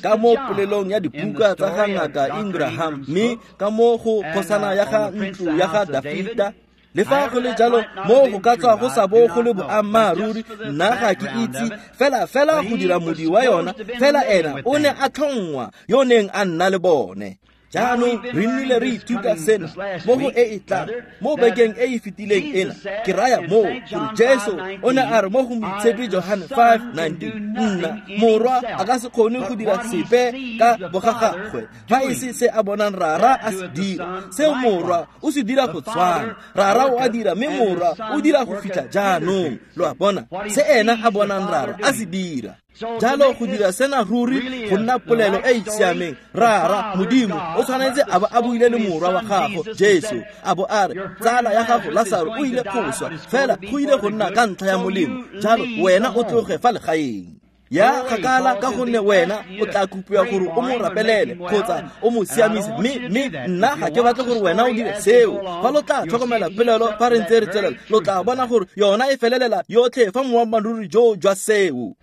Speaker 1: ka mo polelong ya dibuka tsa ga Ngaka Ingraham, mme ka mo go kgosana ya ga ntlo ya ga Dafita. Le fa go le jalo, mo go ka tswa go sa bo go le boammaaruri, nna ga ke itse, fela fela go dira modi wa yona, fela ena o ne a tlhongwa yo neng a nna le bone. Jaanong re nnile re ithuta sena mo go e e tlang mo bekeng e e fetileng ena. Ke raya moo gore Jesu o ne a re mo go Moitshepi Johane five nineteen, nna morwa a ka se kgone go dira sepe ka bogagagwe fa e se se a bonang Rara a se dira. Seo morwa o se dira go tshwana, Rara o a dira, mme morwa o dira go fitlha jaanong. Lo a bona, se ena a bonang Rara a se dira. Jalo go dira sena ruri go nna polelo e e siameng, Rara Modimo o tshwanetse a bo a buile le morwa wa gago Jesu, a bo a re tsala ya gago Lasaro o ile go swa, fela go ile go nna ka ntlha ya molemo, jalo wena o tloge fa legaeng. Ya kgakala ka gonne wena o tla kopiwa gore o mo rapelele kgotsa o mo siamise, mme mme nna ga ke batle gore wena o dire seo. Fa lo tla tlhokomela polelo fa re ntse re tswelela, lo tla bona gore yona e felelela yotlhe fa moammaaruri jo jwa seo.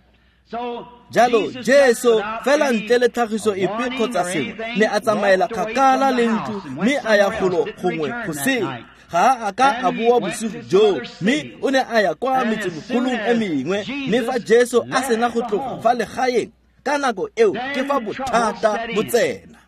Speaker 1: Jalo Jesu fela ntle le tlhagiso epe kgotsa sengwe ne a tsamaela kgakala le ntlo, mme a ya golo gongwe go sele. Ga a ka a boa bosigo joo, mme o ne a ya kwa metsemogolong e mengwe. Mme fa Jesu a sena go tloga fa legaeng ka nako eo, ke fa bothata bo tsena.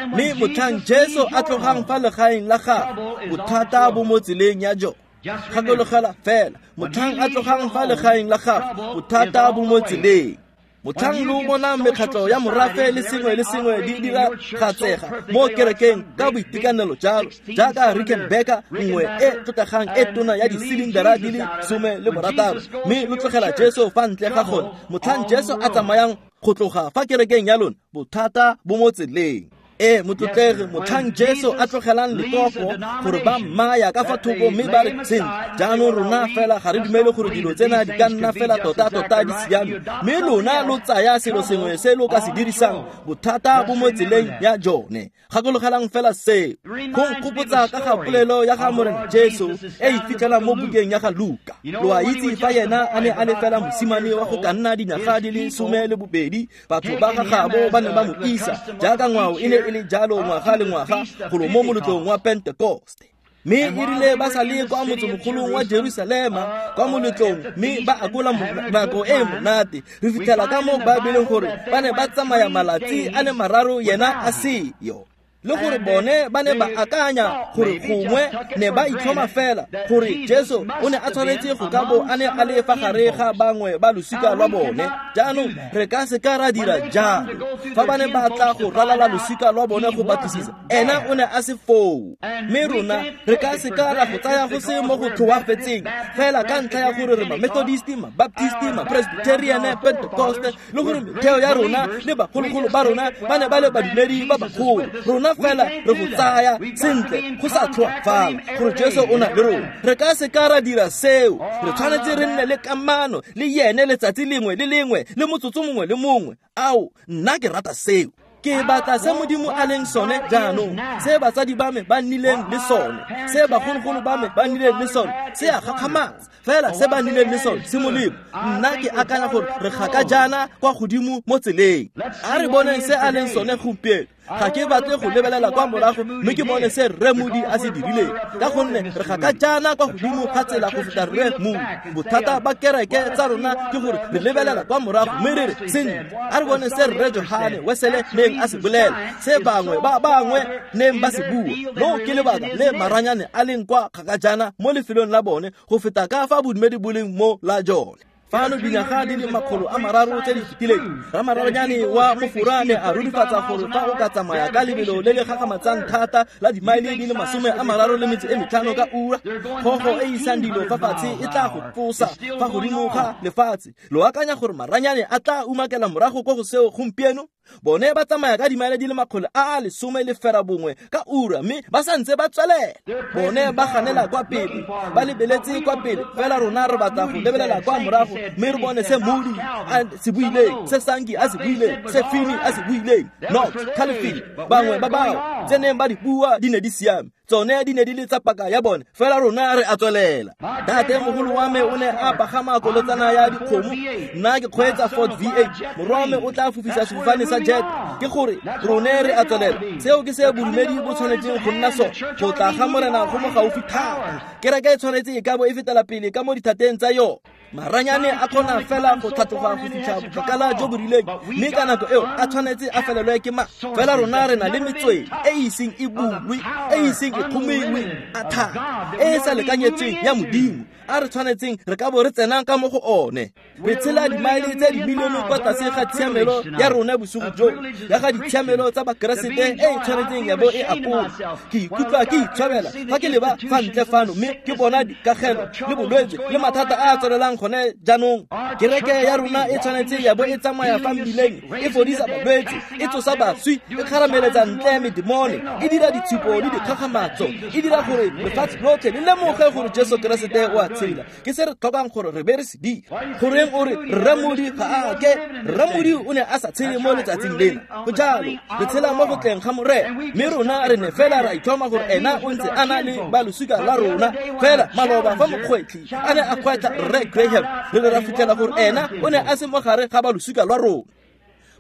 Speaker 1: Mme motlhang Jesu a tlogang fa legaeng la gagwe, bothata bo mo tseleng ya jone. Gakologela fela, motlhang a tlogang fa legaeng la gagwe, bothata bo mo tseleng. Motlhang lo bonang mekgatlho ya morafe le sengwe le sengwe di dira gatsega mo kerekeng ka boitekanelo jalo, jaaka Rickenbacker nngwe e tlotlegang e tona ya disilindara di le some le borataro, mme lo tlogela Jesu fa ntle ga gone. Motlhang Jesu a tsamayang go tloga fa kerekeng ya lona, bothata bo mo tseleng. E motlotlegi, motlhang Jesu a tlogelang lekoko gore ba mmaya ka fa thoko, mme ba re sentle jaanong rona fela ga re dumele gore dilo tsena di ka nna fela tota-tota di siame, mme lona lo tsaya selo sengwe se lo ka se dirisang, bothata bo mo tseleng ya jone. Gakologelang fela seo. Go nkgopotsa ka ga polelo ya ga Morena Jesu e e fitlhelang mo bukeng ya ga Luka. Lo a itse fa yena a ne a le fela mosimane wa go ka nna dinyaga di le some le bobedi, batho ba ga gabo ba ne ba mo isa jaaka ngwao e ne e le jalo ngwaga le ngwaga golo mo moletlong wa Pentekoste. Mme e rile ba sa le kwa motsemogolong wa Jerusalema kwa moletlong, mme ba akola nako e monate. Re fitlhela ka mo Baebeleng gore ba ne ba tsamaya malatsi a le mararo yena a seyo, le gore bone ba ne ba akanya gore gongwe ne ba itlhoma fela gore Jesu o ne a tshwanetse go ka bo a ne a le fa gare ga bangwe ba losika lwa bone. Jaanong re ka se ka ra dira jalo. Fa ba ne ba tla go ralala losika lwa bone go batlisisa, ena o ne a se foo. Mme rona re ka se ka ra go tsaya go se mo go tlhoafetseng fela ka ntlha ya gore re ma-Methodist, ma-Baptist, ma-Presbyterian, Pentecost, le gore metheo ya rona le bagologolo ba rona ba ne ba le badumedi ba bagolo. Rona fela re go tsaya sentle go sa tlhoafala gore Jesu o na le rona. Re ka se ka ra dira seo. Re tshwanetse re nne le kamano le yene letsatsi lengwe le lengwe le motsotso mongwe le mongwe. Ao, nna ke rata seo. Ke batla se Modimo a leng sone jaanong, se batsadi ba me ba nnileng le sone, se bagologolo ba me ba nnileng le sone, se a gakgamatsa fela se ba nnileng le sone se molemo. Nna ke akanya gore re gaka jaana kwa godimo mo tseleng. A re boneng se a leng sone gompieno. Ga ke batle go lebelela kwa morago mme ke bone se Rre Moody a se dirileng, ka gonne re gaka jaana kwa godimo ga tsela go feta Rre Moody. Bothata ba kereke tsa rona ke gore re lebelela kwa morago mme re re sentle, a re bone se Rre Johane Wesele neng a se bolela, se bangwe ba bangwe neng ba se bua. Loo ke lebaka le maranyane a leng kwa kgaka jaana mo lefelong la bone go feta ka fa bodumedi bo leng mo la jone. Fano dinyaga di le makgolo a mararo tse di fetileng, ramaranyane wa mofora ne a rurifatsa gore fa o ka tsamaya ka lebelo le le gakgamatsang thata la dimaele di le masome a mararo le metso e metlhano ka ura, kgogo e isang dilo fa fatshe e tla go tlosa fa godimo ga lefatshe. Lo akanya gore maranyane a tla umakela morago ko go seo gompieno? Bone ba tsamaya ka dimaele di le makgolo a a lesome le fera bongwe ka ura mme ba santse ba tswelela. Bone ba ganela kwa pele, ba lebeletse kwa pele, fela rona re batla go lebelela kwa morago mme re bone se Moody a se buileng, se Sankey a se buileng, se Finney a se buileng, Knox, Calvin, bangwe ba bao tse neng ba di bua di ne di siame. Tsone di ne di le tsa paka ya bone, fela rona re a tswelela. Ntate mogolo wa me o ne a pagama kolotsana ya dikgomo, nna ke kgweetsa Ford V eight, morwa wa me o tla fofisa sefofane sa jet. Ke gore rone re a tswelela. Seo ke se bodumedi bo tshwanetseng go nna sone. Go tla ga Morena go mo gaufi thata. Kereke e tshwanetse e ka bo e fetela pele ka mo dithateng tsa yone. Maranyane a kgona fela go tlhatloga go fitlha bokgakala jo bo rileng, mme ka nako eo a tshwanetse a felelwe ke ma. Fela rona re na le metswedi e e iseng e bulwe, e e iseng e kgomiwe a thata, e e sa lekanyetsweng ya Modimo, a re tshwanetseng re ka bo re tsenang ka mo go one. Re tshela dimaele tse dimilione kwa tlase ga tshiamelo ya rona bosigo jo, ya ga ditshiamelo tsa Bakeresete e e tshwanetseng ya bo e apola. Ke ikutlwa ke itshwabela fa ke leba fa ntle fano mme ke bona dikagelo le bolwetse le mathata a a tswelelang gone jaanong. Kereke ya rona e tshwanetse ya bo e tsamaya fa mmileng, e fodisa balwetse, e tsosa baswi, e kgarameletsa ntle medemone, e dira ditshupo le dikgakgamatso, e dira gore lefatshe lotlhe le lemoge gore Jesu Keresete o a tshela. Ke se re tlhokang gore re be re se dira. Goreng o re Rre Moody ga a ke? Rre Moody o ne a sa tshele mo letsatsing lena. Go jalo, re tshela mo go tleng ga Morena, mme rona re ne fela ra itlhoma gore ena o ntse a na le ba losika la rona. Fela maloba fa mokgwetlhi a ne a kgwetlha Rre Graham, re ne ra fitlhela gore ena o ne a se mo gare ga ba losika lwa rona.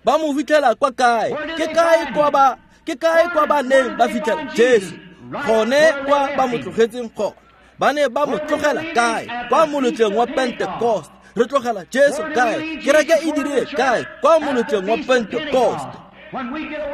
Speaker 1: Ba mo fitlhela kwa kae? Ke kae kwa ba ke kae kwa ba neng ba fitlhela Jesu? Gone kwa ba mo tlogetseng gone. Ba ne ba mo tlogela kae? Kwa moletlong wa Pentecost. Re tlogela Jesu kae? Kereke e dirile kae? Kwa moletlong wa Pentecost.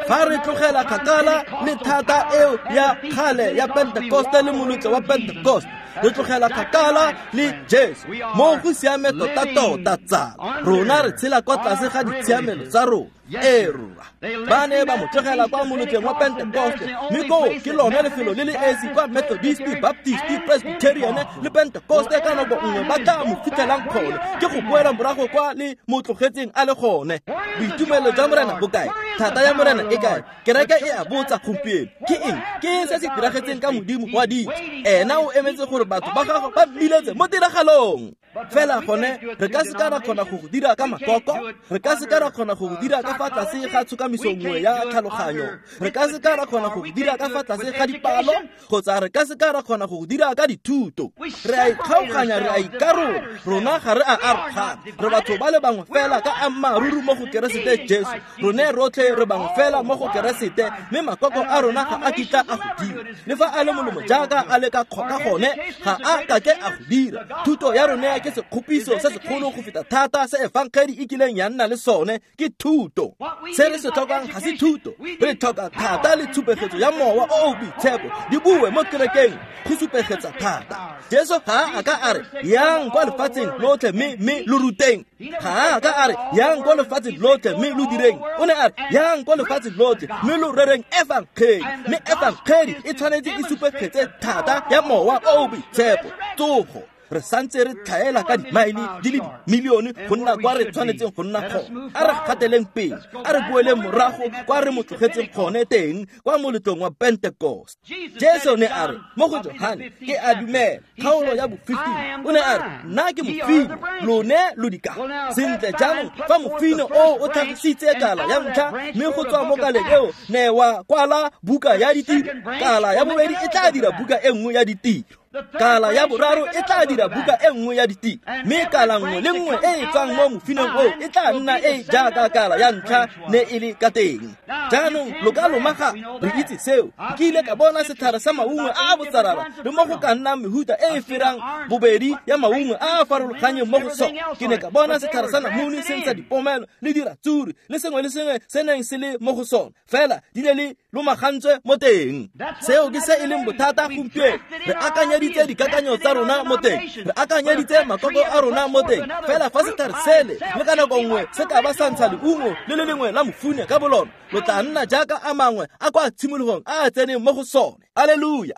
Speaker 1: Fa re tlogela kgakala le thata eo ya kgale ya Pentecost le moletlo wa Pentecost, re tlogela kgakala le Jesu. Mo go siame tota-tota tsala, rona re tshela kwa tlase ga ditshiamelo tsa rona. Ee rra, ba ne ba mo tlogela kwa moletlong wa Pentecost, mme koo ke lone lefelo le le esi kwa Methodist, Baptist, Presbyterian le Pentecost ka nako nngwe ba tla mo fitlhelang gone. Ke go boela morago kwa le mo tlogetseng a le gone. Boitumelo jwa Morena bo kae? Thata ya Morena e kae? Kereke e a botsa gompieno. Ke eng? Ke eng se se diragetseng ka Modimo wa ditso? Ena o emetse gore batho ba gagwe ba mbiletse mo tiragalong. Fela gone re ka se ka ra kgona go go dira ka makoko, re ka se ka ra kgona go go dira ka fa tlase ga tshokamiso nngwe ya tlhaloganyo, re ka se ka ra kgona go go dira ka fa tlase ga dipalo, kgotsa re ka se ka ra kgona go go dira ka dithuto. Re a ikgaoganya, re a ikarola, rona ga re a arogana. Re batho ba le bangwe fela ka ammaaruri mo go Keresete Jesu. Rone rotlhe re bangwe fela mo go Keresete, mme makoko a rona ga a kitla a go dira. Le fa a le molemo jaaka a le ka gone, ga a kake a go dira. Thuto ya rona ke sekgopiso se segolo go feta thata se efangedi e kileng ya nna le sone, ke thuto. Se re se tlhokang ga se thuto, re tlhoka thata le tshupegetso ya mowa o o boitshepo di bue mo kerekeng go supegetsa thata. Jesu ga a ka a re yang kwa lefatsheng lotlhe mme mme lo ruteng. Ga a ka a re yang kwa lefatsheng lotlhe mme lo direng. O ne a re yang kwa lefatsheng lotlhe mme lo rereng efangedi, mme efangedi e tshwanetse e supegetse thata ya mowa o o boitshepo. Tsogo re santse re tlhaela ka dimaele di le dimilione go nna kwa re tshwanetseng go nna gone. A re gateleng pele, a re boeleng morago kwa re mo tlogetseng gone teng, kwa moletlong wa Pentecost. Jesu ne a re mo go Johane, ke a dumela, kgaolo ya bo fifteen, o ne a re nna ke mofine, lone lo dikala. Sentle jaanong fa mofine o o tlhagisitse kala ya ntlha, mme go tswa mo kaleng eo ne wa kwala buka ya ditiro, kala ya bobedi e tla dira buka e nngwe ya ditiro, kala ya boraro e tla dira buka e nngwe ya ditiro, mme kala nngwe le nngwe e e tswang mo mofineng oo e tla nna e jaaka kala ya ntlha ne e le ka teng. Jaanong lo ka lomaga, re itse seo. Ke ile ka bona setlhare sa maungo a a botsarara le mo go ka nnang mehuta e e ferang bobedi ya maungo a a farologanyeng mo go sone. Ke ne ka bona setlhare sa namune se ntsha dipomelo le diratsuri le sengwe le sengwe se neng se le mo go sone, fela di ne le lomagantswe mo teng. Seo ke se e leng bothata gompieno. Re akanyeditse dikakanyo tsa rona mo teng, re akanyeditse makoko a rona mo teng, fela fa setlhare sele le ka nako nngwe se ka ba sa ntsha leungo le le lengwe la mofune ka bolona, lo tla nna jaaka a mangwe a kwa tshimologong a a tseneng mo go sone. Alleluia.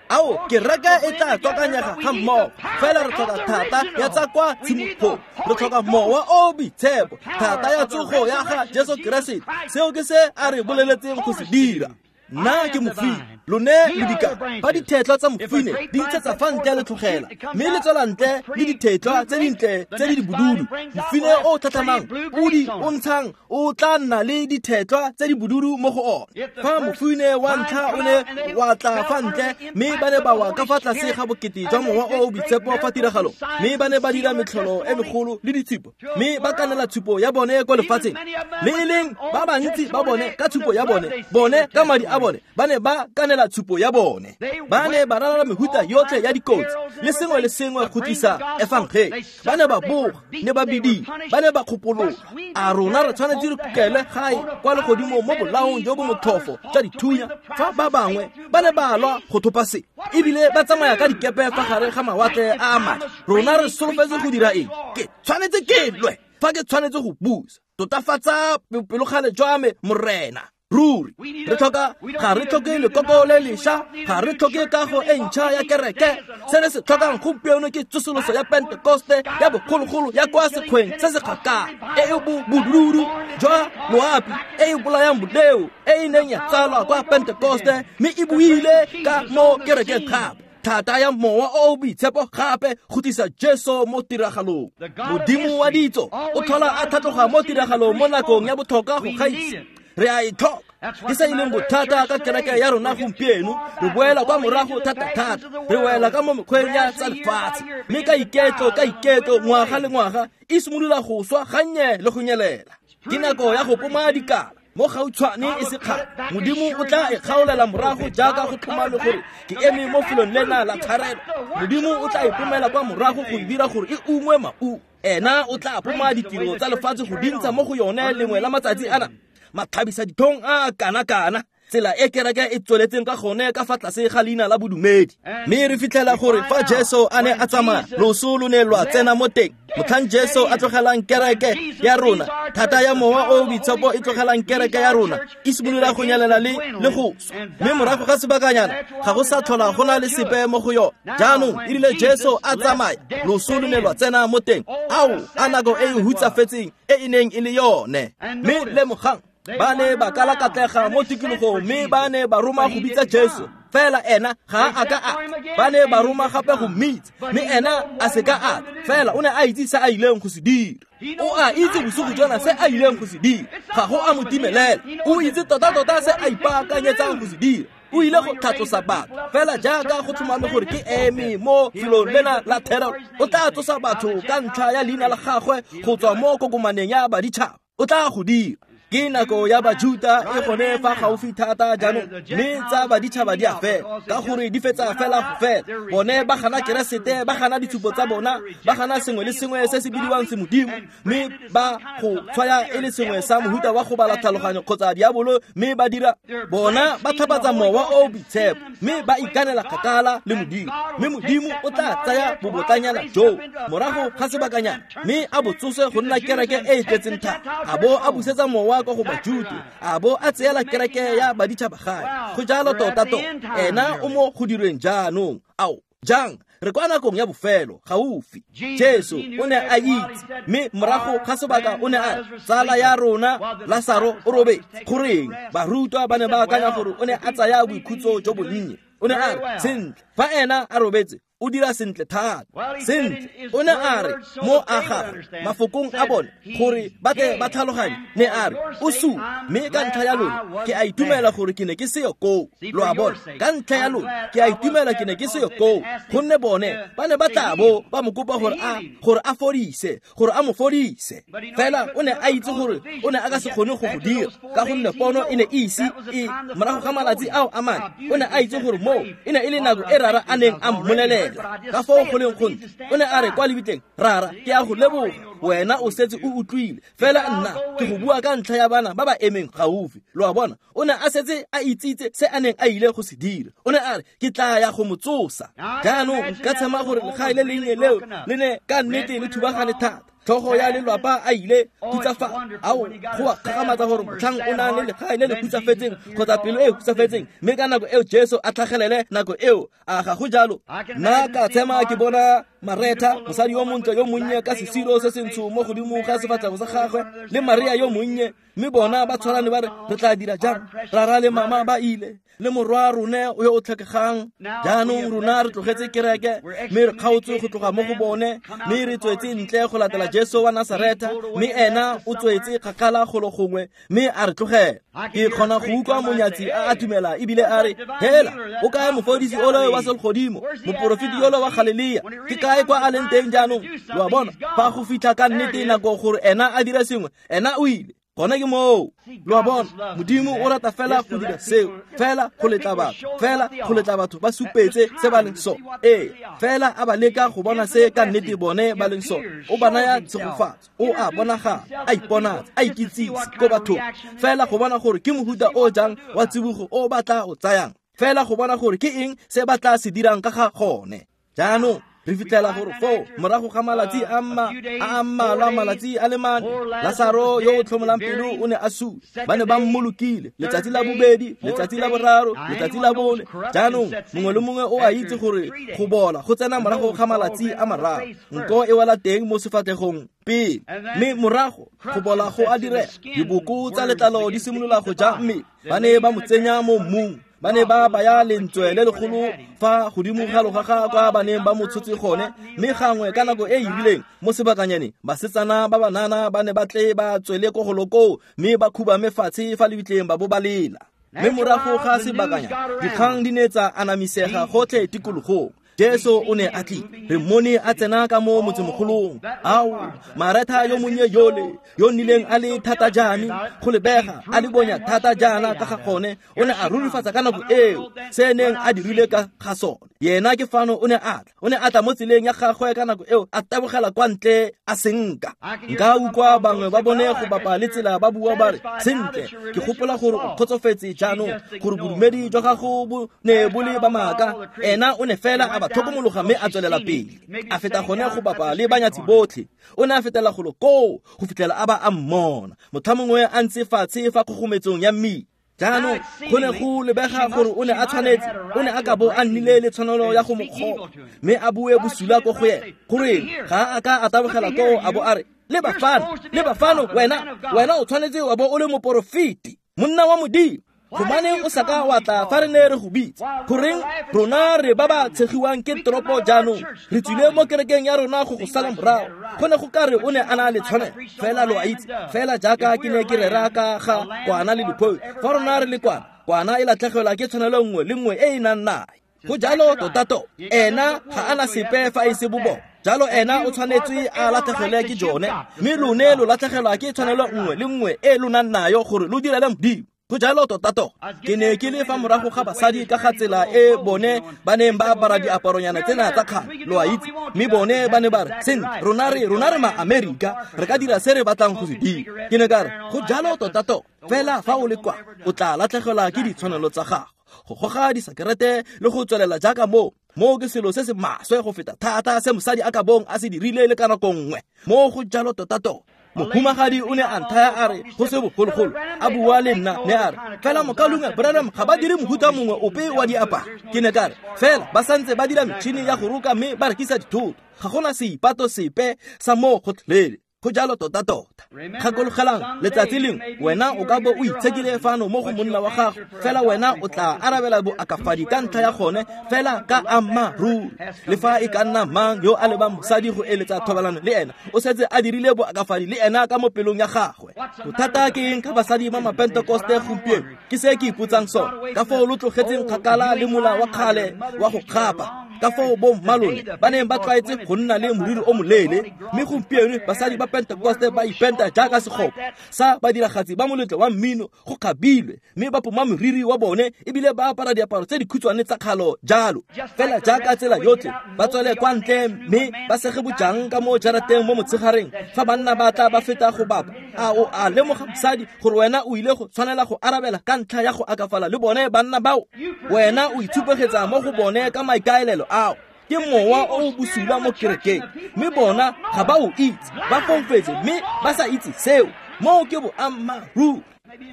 Speaker 1: Ao kereke e tla tswakanyega ga mmogo, fela re tlhoka thata ya tsa kwa tshimologong. Re tlhoka mowa o boitshepo, thata ya tsogo ya ga Jesu Keresete. Seo ke se a re boleletseng go se dira. Nna ke mofine, lone le dikala. Fa dithetlwa tsa mofine di ntshetsa fa ntle le tlogela, mme le tswela ntle le dithetlwa tse dintle tse di bodudu, mofine o o tlhatlhamang o di o ntshang o tla nna le dithetlwa tse di bodudu mo go one. Fa mofine wa ntlha o ne wa tla fa ntle, mme ba ne ba wa ka fa tlase ga bokete jwa mowa o o boitshepo fa tiragalong, mme ba ne ba dira metlholo e megolo le ditshupo, mme ba kanela tshupo ya bone kwa lefatsheng. Le e leng ba bantsi ba bone ka tshupo ya bone, bone ka madi a bone ba ne ba kanela tshupo ya bone. Ba ne ba ralala mehuta yotlhe ya dikotsi le sengwe le sengwe go tlisa efangele. Ba ne ba boga, ne ba bidile, ba ne ba kgopologa. A rona re tshwanetse re kukele gae kwa legodimo mo bolaong jo bo motlhofo jwa dithunya, fa ba bangwe ba ne ba lwa go thopa se, ebile ba tsamaya ka dikepe fa gare ga mawatle a a madi. Rona re solofetse go dira eng? Ke tshwanetse ke lwe fa ke tshwanetse go busa. Totafatsa bopelokgale jwa me, Morena. Ruri re tlhoka, ga re tlhoke lekoko le lešwa, ga re tlhoke kago e ntšha ya kereke. Se re se tlhokang gompieno ke tsosoloso ya Pentekoste ya bogologolo ya kwa sekgweng se se kgakala, e e bodudu jwa loapi, e e bolayang boleo, e e neng ya tsalwa kwa Pentekoste mme e buile ka mo kerekeng gape. Thata ya mowa o o boitshepo gape go tlisa Jesu mo tiragalong. Modimo wa ditso o tlhola a tlhatloga mo tiragalong mo nakong ya botlhokwa go gaisa. Re a e tlhoka. Ke se e leng bothata ka kereke ya rona gompieno, re boela kwa morago thata-thata, re wela ka mo mekgweng ya tsa lefatshe, mme ka iketlo ka iketlo ngwaga le ngwaga e simolola go swa gannye le go nyelela. Ke nako ya go poma dikala mo gautshwane e se kgale. Modimo o tla e kgaolela morago jaaka go tlhomame gore ke eme mo felong lena la tshwarelo. Modimo o tla e pomela kwa morago go e dira gore e ungwe maungo. Ena o tla poma ditiro tsa lefatshe go dintsha mo go yone lengwe la matsatsi ana. Mathabisa dithong a kana-kana, tsela e kereke e tsweletseng ka gone ka fa tlase ga leina la bodumedi. Mme re fitlhela gore fa Jesu a ne a tsamaya, loso lo ne lwa tsena mo teng. Motlhang Jesu a tlogelang kereke ya rona, thata ya mowa o o boitshepo e tlogelang kereke ya rona, e simolola go nyelela le le go swa. Mme morago ga sebakanyana ga go sa tlhola go na le sepe mo go yone. Jaanong e rile Jesu a tsamaya, loso lo ne lwa tsena mo teng. Ao, a nako e e hutsafetseng e e neng e le yone. Mme lemogang, ba ne ba kalakatlega mo tikologong, mme ba ne ba roma go bitsa Jesu, fela ena ga a ka a. Ba ne ba roma gape go mmitsa, mme ena a se ka a. Fela o ne a itse se a ileng go se dira. O a itse bosigo jona se a ileng go se dira. Ga go a mo timelela. O itse tota-tota se a ipaakanyetsang go se dira. O ile go tlhatlosa batho, fela jaaka go tlhomame gore ke eme mo felong lena la thero. O tla tsosa batho ka ntlha ya leina la gagwe go tswa mo kokomaneng ya baditšhaba. O tla go dira. Ke nako ya Bajuta e gone fa gaufi thata jaanong, mme tsa baditšhaba di a fela, ka gore di fetsa fela go fela. Bone ba gana Keresete, ba gana ditshupo tsa bona, ba gana sengwe le sengwe se se bidiwang semodimo, mme ba go tshwaya e le sengwe sa mohuta wa go bala tlhaloganyo kgotsa diabolo, mme ba dira bona ba tlhapatsa mowa o o boitshepo, mme ba ikanela kgakala le Modimo. Mme Modimo o tla tsaya bobotlanyana joo morago ga sebakanyana, mme a bo tsose go nna kereke e e tletseng thata, a bo a busetsa mowa kwa go Bajuta, a bo a tseela kereke ya baditšhaba gae. Go jalo tota-tota, ena o mo go dirweng jaanong. Ao, jang re kwa nakong ya bofelo gaufi. Jesu o ne a itse, mme morago ga sebaka o ne a re, tsala ya rona Lasaro o robetse. Goreng barutwa ba ne ba akanya gore o ne a tsaya boikhutso jo bonnye? O ne a re, sentle, fa ena a robetse o dira sentle thata. Sentle, o ne a re mo a gagwe mafokong a bone gore ba tle ba tlhaloganye, ne a re o sule, mme ka ntlha ya lona ke a itumela gore ke ne ke seyo koo. Lo a bona, ka ntlha ya lona ke a itumela ke ne ke seyo koo, gonne bone ba ne ba tla bo ba mo kopa gore a gore a fodise, gore a mo fodise. Fela o ne a itse gore o ne a ka se kgone go go dira, ka gonne pono e ne e ise e morago ga malatsi ao a mane. O ne a itse gore moo e ne e le nako e Rara a neng a mmolelela ka foo go leng gontsi. O ne a re kwa lebitleng, Rara, ke a go leboga, wena o setse o utlwile, fela nna ke go bua ka ntlha ya bana ba ba emeng gaufi. Lo a bona, o ne a setse a itsitse se a neng a ile go se dira. O ne a re, ke tla ya go mo tsosa. Jaanong nka tshema gore legae le lennye leo le ne ka nnete le thubagane thata. Tlhogo ya lelwapa a ile khutsafala. Ao, go a kgakgamatsa gore motlhang o nang le legae le le khutsafetseng kgotsa pelo e e khutsafetseng, mme ka nako eo Jesu a tlhagelele nako eo, a ga go jalo? Nna ka tshema ke bona Maretha, mosadi yo montle yo monnye ka sesiro se sentsho mo godimo ga sefatlhego sa gagwe, le Maria yo monnye, mme bona ba tshwarane ba re, re tla dira jang? Rara le mama ba ile, le morwa rone yo o tlhokegang. Jaanong rona re tlogetse kereke, mme re kgaotswe go tloga mo go bone, mme re tswetse ntle go latela Jesu wa Nasaretha, mme ena o tswetse kgakala golo gongwe, mme a re tlogela. Ke kgona go utlwa monyatsi a atumela ebile a re, hela, o kae mofodisi ole wa selegodimo, moporofeti yole wa Galilea? Ke kae kwa a leng teng jaanong? Lo a bona, fa go fitlha ka nnete nako gore ena a dire sengwe, ena o ile. Gone ke moo. Lo a bona, Modimo o rata fela go dira seo, fela go letla batho, fela go letla batho ba supetse se ba leng sone. Ee, fela a ba leka go bona se ka nnete bone ba leng sone. O ba naya tshegofatso, o a bonagala, a iponatsa, a ikitsise ko bathong, fela go bona gore ke mohuta o jang wa tsibogo o ba tla o tsayang, fela go bona gore ke eng se ba tla se dirang ka ga gone. Jaanong re fitlhela gore foo morago ga malatsi a mma a mmalwa, malatsi a le mane, Lasaro yo o tlhomolang pelo o ne a sule. Ba ne ba mmolokile letsatsi la bobedi, letsatsi la boraro, letsatsi la bone. Jaanong mongwe le mongwe o a itse gore go bola go tsena morago ga malatsi a mararo, nko e wela teng mo sefatlhegong pele, mme morago go bola go a direga. Diboko tsa letlalo di simolola go ja mmele. Ba ne ba mo tsenya mo mmung, ba ne ba baya lentswe le legolo fa godimo ga logaga kwa ba neng ba mo tshotse gone, mme gangwe ka nako e e rileng mo sebakanyaneng, basetsana ba banana ba ne ba tle ba tswele ko golo koo, mme ba khubame fatshe fa lebitleng ba bo ba lela. Mme morago ga sebakanyana, dikgang di ne tsa anamisega gotlhe tikologong. Jesu o ne a tlile, re mmone a tsena ka mo motsemogolong. Ao, Maretha yo monnye yole, yo nnileng a le thata jaana, go lebega a le bonya thata jaana ka ga gone, o ne a rurifatsa ka nako eo se neng a dirile ka ga sone. Yena ke fano o ne a tla, o ne a tla mo tseleng ya gagwe ka nako eo, a tabogela kwa ntle a senka. Nka utlwa bangwe ba bone go bapa le tsela ba bua ba re, sentle, ke gopola gore o kgotsofetse jaanong gore bodumedi jwa gago bo ne bo le ba maaka. Ena o ne fela a ba tlhokomologa mme a tswelela pele, a feta gone go bapa le banyatsi botlhe. O ne a fetela golo koo go fitlhela a ba a mmona, motho mongwe a ntse fatshe fa kgogometsong ya mmila. Jaanong go ne go lebega gore o ne a tshwanetse, o ne a ka bo a nnile le tshwanelo ya go mo kgoba, mme a bue bosula ko go ena. Goreng ga a ka a tabogela koo a bo a re, leba fano, leba fano, wena, wena o tshwanetse wa bo o le moporofeti, monna wa Modimo. Gobaneng o sa ka wa tla fa re ne re go bitsa? Goreng rona re ba ba tshegiwang ke toropo jaanong, re tswile mo kerekeng ya rona go go sala morago. Go ne go ka re o ne a na le tshwanelo, fela lo a itse, fela jaaka ke ne ke rera ka ga kwana le diphoi. Fa rona re le kwana, kwana e latlhegelwa ke tshwanelo nngwe le nngwe e e nang nayo. Go jalo tota-tota, ena ga a na sepe fa e se bobona. Jalo ena o tshwanetse a latlhegelwe ke jone, mme lone lo latlhegelwa ke tshwanelo nngwe le nngwe e lo nang nayo gore lo direle Modimo. Go jalo tota-tota. Ke ne ke le fa morago ga basadi ka ga tsela e bone ba neng ba apara diaparonyana tsena tsa kgale, lo a itse, mme bone ba ne ba re, sentle, rona re rona re ma-Amerika, re ka dira se re batlang go se dira. Ke ne ka re, go jalo tota-tota, fela fa o le kwa, o tla latlhegelwa ke ditshwanelo tsa gago, go goga disakerete le go tswelela jaaka moo. Moo ke selo se se maswe go feta thata se mosadi a ka bong a se dirile le ka nako nngwe. Moo go jalo tota-tota. Mohumagadi o ne a nthaya a re go se bogologolo, a bua le nna, ne a re, fela mokalunga Branham ga ba dire mohuta mongwe ope wa diaparo. Ke ne ka re, fela ba santse ba dira metšhini ya go roka mme ba rekisa dithoto, ga gona seipato sepe sa moo gotlhelele. Go jalo tota-tota. Gakologelang, letsatsi lengwe wena o ka bo o itshekile fano mo go monna wa gago, fela wena o tla arabela boakafadi ka ntlha ya gone, fela ka ammaaruri. Le fa e ka nna mang yo a lebang mosadi go eletsa thobalano le ena, o setse a dirile boakafadi le ena ka mo pelong ya gagwe. Bothata ke eng ka basadi ba mapentekoste gompieno? Ke se ke ipotsang sone. Ka foo lo tlogetseng kgakala le mola wa kgale wa go kgapa, ka foo bo mmalone ba neng ba tlwaetse go nna le moriri o moleele, mme gompieno basadi ba Pentekoste ba ipenta jaaka segopa sa badiragatsi ba moletlo wa mmino go kgabilwe, mme ba poma moriri wa bone ebile ba apara diaparo tse dikhutshwane tsa kgalo jalo, fela jaaka tsela yotlhe ba tswele kwa ntle mme ba sege bojang ka mo jarateng mo motshegareng fa banna ba tla ba feta go bapa. A o a lemoga mosadi gore wena o ile go tshwanela go arabela ka ntlha ya go akafala le bone banna bao? Wena o itshupegetsa mo go bone ka maikaelelo ao. Ke mowa o o bosula mo kerekeng, mme bona ga ba o itse, ba foufetse mme ba sa itse seo. Moo ke boammaaruri.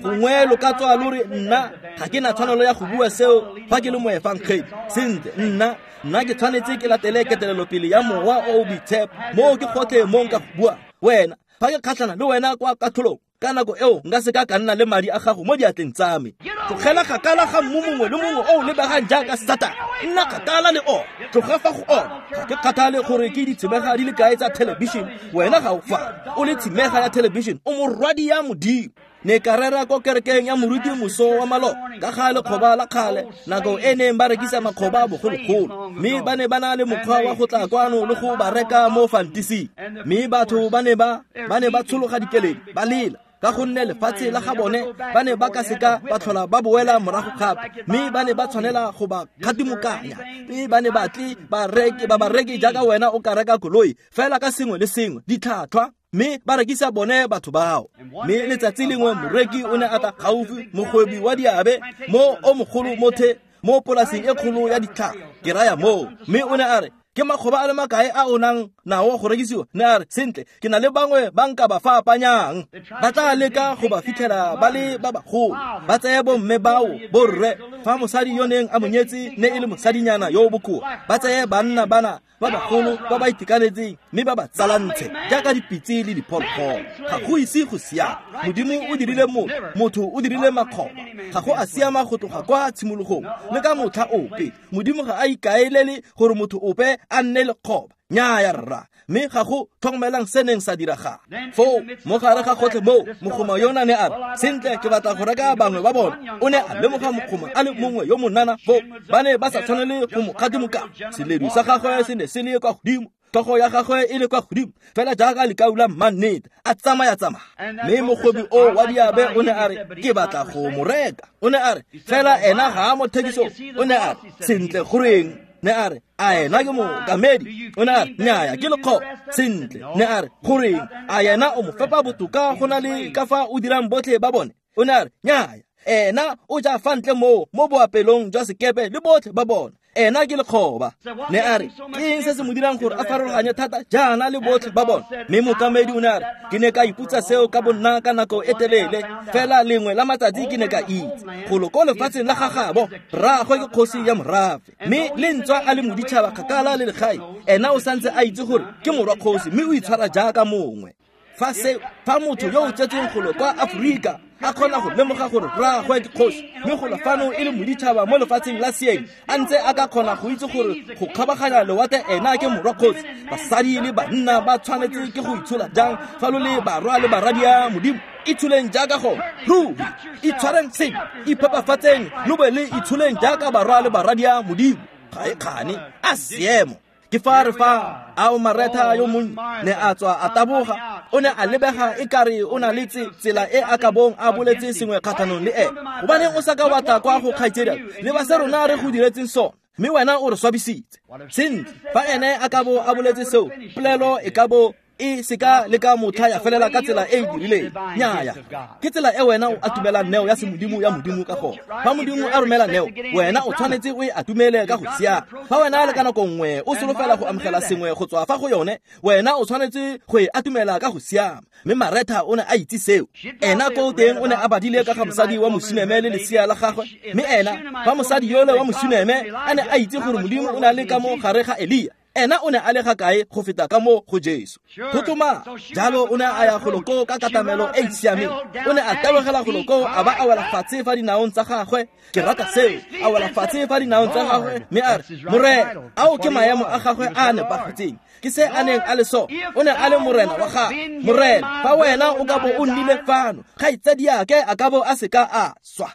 Speaker 1: Gongwe lo ka tswa lo re nna ga ke na tshwanelo ya go bua seo fa ke le moefangedi. Sentle, nna nna ke tshwanetse ke latele ketelelopele ya mowa o o boitshepo. Moo ke gotlhe mo nka go buang. Wena fa ke kgatlhana le wena kwa katlholong, ka nako eo nka se ka ka nna le madi a gago mo diatleng tsa me. Tlogela kgakala ga mmu mongwe le mongwe o o lebegang jaaka Satane. Nna kgakala le ona, tloga fa go ona. Ga ke kgathale gore ke ditshimega di le kae tsa thelebišene, wena ga o fa o le tshimega ya thelebišene, o morwadi ya Modimo. Ne ka rera ko kerekeng ya moruti moso wa maloba ka ga lekgoba la kgale, nako e neng ba rekisa makgoba bogologolo, mme ba ne ba na le mokgwa wa go tla kwano le go ba reka mo fantising. Mme batho ba ne ba ba ne ba tshologa dikeledi, ba lela ka gonne lefatshe la ga bone ba ne ba ka seka ba tlhola ba boela morago gape, mme ba ne ba tshwanela go ba kgatimokanya, mme ba ne ba tle ba reke ba ba reke jaaka wena o ka reka koloi fela ka sengwe le sengwe, ditlhwatlhwa, mme ba rekisa bone batho bao. Mme letsatsi lengwe moreki o ne a tla gaufi, mogwebi wa diabe mo o mogolo mo the mo polaseng e kgolo ya ditlhare, ke raya moo. Mme o ne a re, ke makgoba a le makae a o nang nao go rekisiwa? Ne a re, sentle, ke na le bangwe ba nka ba fapanyang. Ba tla leka go ba fitlhela ba le ba bagolo, ba tseye bomme bao borre, fa mosadi yo neng a mo nyetse ne e le mosadinyana yo o bokoa, ba tseye banna bana ba bagolo ba ba itekanetseng mme ba ba tsalantshe jaaka dipitse le diphologolo. Ga go ise go siama. Modimo o dirile motho, motho o dirile makgoba. Ga go a siama go tloga kwa tshimologong le ka motlha ope. Modimo ga a ikaelele gore motho ope a nne lekgoba. Nnyaya rra, mme ga go tlhokomelang se neng sa diragala. Foo mo gare ga gotlhe moo, mogoma yona ne a re, sentle, ke batla go reka bangwe ba bona. O ne a lemoga mogoma a le mongwe yo monana foo, ba ne ba sa tshwanele go mo kgatimoka. Seledu sa gagwe se ne se le kwa godimo, tlhogo ya gagwe e le kwa godimo, fela jaaka lekau la mmannete, a tsamaya-tsamaya. Mme mogwebi o wa diabe o ne a re, ke batla go mo reka. O ne a re, fela ena ga a mo thekisong. O ne a re, sentle, goreng? Ne a re, a ena ke mookamedi? O ne a re, nnyaya, ke lekgoba. Sentle, ne a re, goreng? A yena o mo fepa botoka go na le ka fa o dirang botlhe ba bone? O ne a re, nnyaya, ena o ja fa ntle moo mo boapelong jwa sekepe le botlhe ba bona. Ena ke lekgoba. Ne a re, ke eng se se mo dirang gore a farologanye thata jaana le botlhe ba bona? Mme mookamedi o ne a re, ke ne ka ipotsa seo ka bonna ka nako e telele, fela lengwe la matsatsi ke ne ka itse golo ko lefatsheng la gagabo rraagwe ke kgosi ya morafe, mme le ntswa a le moditšhaba kgakala le legae, ena o santse a itse gore ke morwa kgosi, mme o itshwara jaaka mongwe. Fa se fa motho yo o tsetsweng golo kwa Aforika a kgona go lemoga gore rraagwe ke kgosi, mme golo fano e le moditšhaba mo lefatsheng la seeng, a ntse a ka kgona go itse gore go kgabaganya lewatle ena ke morwa kgosi, basadi le banna ba tshwanetse ke go itshola jang fa lo le barwa le baradi Modimo? Itsholeng jaaka gone ruri, itshwareng sentle, iphepafatseng lo be le itsholeng jaaka barwa le baradi Modimo. Ga e kgane, a seemo. Ke fa re fa ao Maretha yo monnye ne a tswa a taboga, o ne a lebega e kare o na le tsela e a ka bong a boletse sengwe kgatlhanong le ene. Gobaneng o sa ka wa tla kwa go kgaitsedi le ba se rona re go diretseng sone, mme wena o re swabisitse. Sentle, fa ene a ka bo a boletse seo, polelo e ka bo e seka le ka motlha ya felela ka tsela e e dirileng. Nnyaya, ke tsela e wena o atumelang neo ya semodimo ya Modimo ka gone. Fa Modimo a romela neo, wena o tshwanetse o e atumele ka go siama. Fa wena le ka nako nngwe o solofela go amogela sengwe go tswa fa go yone, wena o tshwanetse go e atumela ka go siama. Mme Maretha o ne a itse seo. Ena ko teng o ne a badile ka ga mosadi wa mosuneme le lesea la gagwe. Mme ena fa mosadi yole wa mosuneme a ne a itse gore Modimo o ne a le ka mo gare ga Elia, ena o ne a le ga kae go feta ka mo go Jesu? Go tloma jalo o ne a ya golo koo ka katamelo e e siameng. O ne a tabogela golo koo a ba a wela fatshe fa dinaong tsa gagwe. Ke rata seo, a wela fatshe fa dinaong tsa gagwe mme a re, Morena, ao ke maemo a gagwe a a nepagetseng. Ke se a neng a le sone. O ne a le morena wa gagwe. Morena, fa wena o ka bo o nnile fano, kgaitsadiake a ka bo a seka a swa.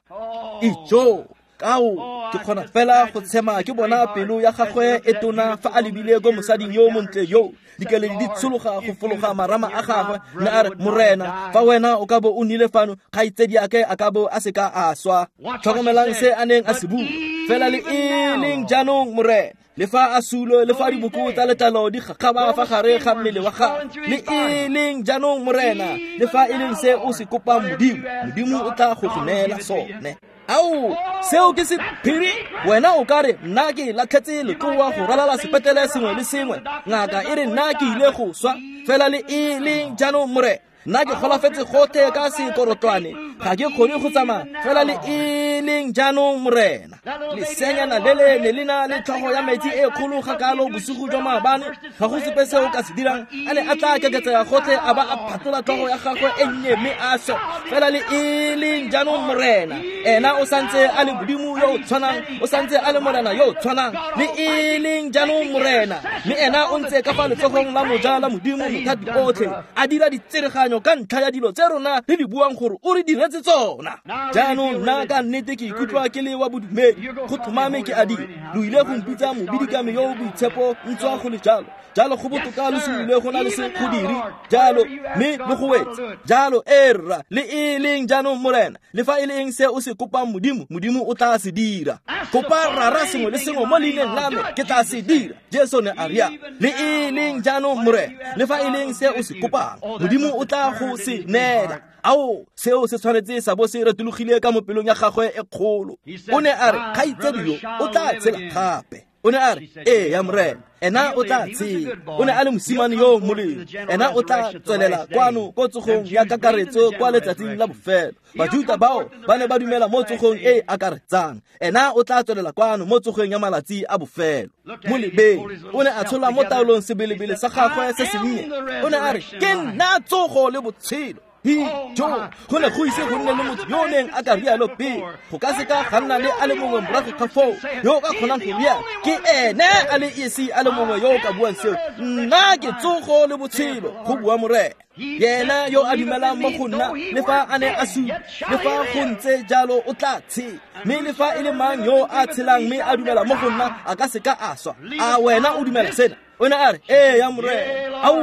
Speaker 1: Ijo, kao ke kgona fela go tshema ke bona pelo ya gagwe e tona fa a lebile ko mosading yo montle yo, dikeledi di tshologa go fologa marama a gagwe. Ne a re, Morena, fa wena o ka bo o nnile fano, kgaitsediake a ka bo a seka a swa. Tlhokomelang se a neng a se bua. Fela le e leng jaanong, Morena, le fa a sulo, le fa diboko tsa letlalo di gagaba fa gare ga mmele wa gagwe, le e leng jaanong, Morena, le fa e leng se o se kopang Modimo, Modimo o tla go go neela sone. Ao, seo ke sephiri. Wena o ka re nna ke latlhetse letloa go ralala sepetlele sengwe le sengwe, ngaka e re nna ke ile go swa, fela le e leng jaanong Morena, nna ke golafetse gotlhe ka sekorotlwane, ga ke kgone go tsamaya, fela le e leng jaanong Morena. Lesenyana le le ne le na le tlhogo ya metsi e kgolo ga kalo bosigo jwa maabane, ga go sepe se o ka se dirang, a ne a tla keketsega gotlhe a ba a phatlola tlhogo ya gagwe e nnye mme a swa, fela le e leng jaanong Morena. Ena o santse a le Modimo yo o tshwanang, o santse a le Morena yo o tshwanang, le e leng jaanong Morena. Mme ena o ntse ka fa letsogong la moja la Modimo mothati otlhe, a dira ditsereganyo ka ntlha ya dilo tse rona re di buang gore o re diretse tsona. Jaanong nna ka nnete ke ikutlwa ke le wa bodumedi, go tlhomame ke a dira. Lo ile go mpitsa mobidikame yo o boitshepo, ntswa go le jalo. Jalo go botoka lo simolole go na le se go dire jalo, mme lo go wetse jalo. E rra, le e leng jaanong Morena, le fa e le eng se o se kopang Modimo, Modimo o tla se dira. Kopa Rara sengwe le sengwe mo leineng la me, ke tla se dira. Jesu ne a ria, le e leng jaanong Morena, le fa e leng se o se kopang, Modimo o tla go se neela. Ao, seo se tshwanetse sa bo se retologile ka mo pelong ya gagwe e kgolo. O ne a re, kgaitsedi yo o tla tshela gape. O ne a re, ee ya Morena, ena o tla tshela. O ne a le mosimane yo molemo, ena o tla tswelela kwano ko tsogong ya kakaretso kwa letsatsing la bofelo. Bajuta bao ba ne ba dumela mo tsogong e e akaretsang, ena o tla tswelela kwano mo tsogong ya malatsi a bofelo. Mo lebeng, o ne a tshola mo taolong sebelebele sa gagwe se sennye. O ne a re, ke nna tsogo le botshelo. Jo, go ne go ise go nne le motho yo o neng a ka rialo pele, go ka seka ga nna le a le mongwe morago ga foo yo o ka kgonang go rialo. Ke ene a le esi a le mongwe yo o ka buang seo. Nna ke tsogo le botshelo, go bua Morena. Yena yo a dumelang mo go nna, le fa a ne a sule, le fa go ntse jalo o tla tshela. Mme le fa e le mang yo a tshelang mme a dumela mo go nna, a ka seka a swa. A wena o dumela sena? O ne a re, ee ya Morena. Ao,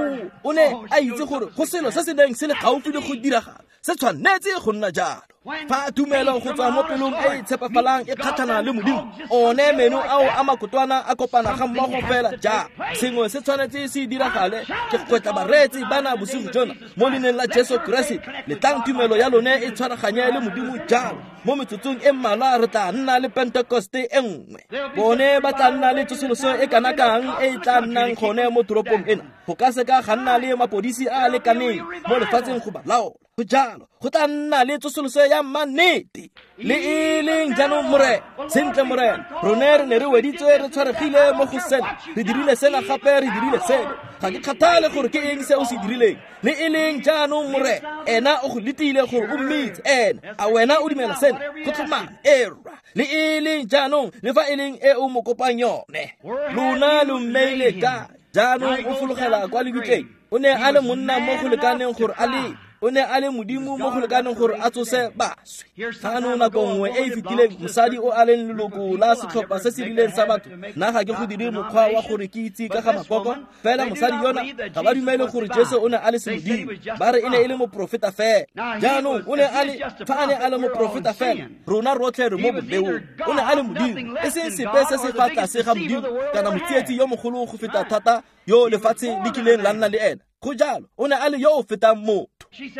Speaker 1: o ne a itse gore go selo se se neng se le gaufi le go diragala, se tshwanetse go nna jalo. Fa tumelo go tswa mo pelong e e tshepafalang e kgatlhana le Modimo, one meno ao a makotwana a kopana ga mmogo fela jalo. Sengwe se tshwanetse se diragale. Ke gwetla bareetsi bana bosigo jona mo leineng la Jesu Keresete. Letlang tumelo ya lone e tshwaraganye le Modimo jalo. Mo metsotsong e mmalwa re tla nna le Pentekoste e nngwe. Bone ba tla nna le tsosoloso e kana kang e e tla nnang gone mo toropong ena. Go ka seka ga nna le mapodisi a a lekaneng mo lefatsheng go ba laola. Go jalo, go tla nna le tsosoloso ya mannete. Le e leng jaanong Morena, sentle Morena, rone re ne re weditswe re tshwaregile mo go sena, re dirile sena gape re dirile seno. Ga ke kgathale gore ke eng se o se dirileng. Le e leng jaanong Morena, ena o go letile gore o mmitse ena. A wena o dumela sena? Go tlhomame, e rra. Le e leng jaanong, le fa e leng e o mo kopang yone. Lona lo mmeile kae? Jaanong o fologela kwa lebitleng. O ne a le monna mo go lekaneng gore a le, o ne a le Modimo mo go lekaneng gore a tsose baswi. Fano nako nngwe e e fetileng, mosadi o a leng leloko la setlhopha se se rileng sa batho, nna ga ke go dire mokgwa wa gore ke itse ka ga makoko, fela mosadi yona ga ba dumele gore Jesu o ne a le semodimo, ba re e ne e le moprofeta fela. Jaanong o ne a le, fa a ne a le moprofeta fela, rona rotlhe re mo boleong. O ne a le Modimo, e seng sepe se se fa tlase ga Modimo, kana motsietsi yo mogolo go feta thata yo lefatshe le kileng la nna le ena. Go jalo, o ne a le yo o fetang motho.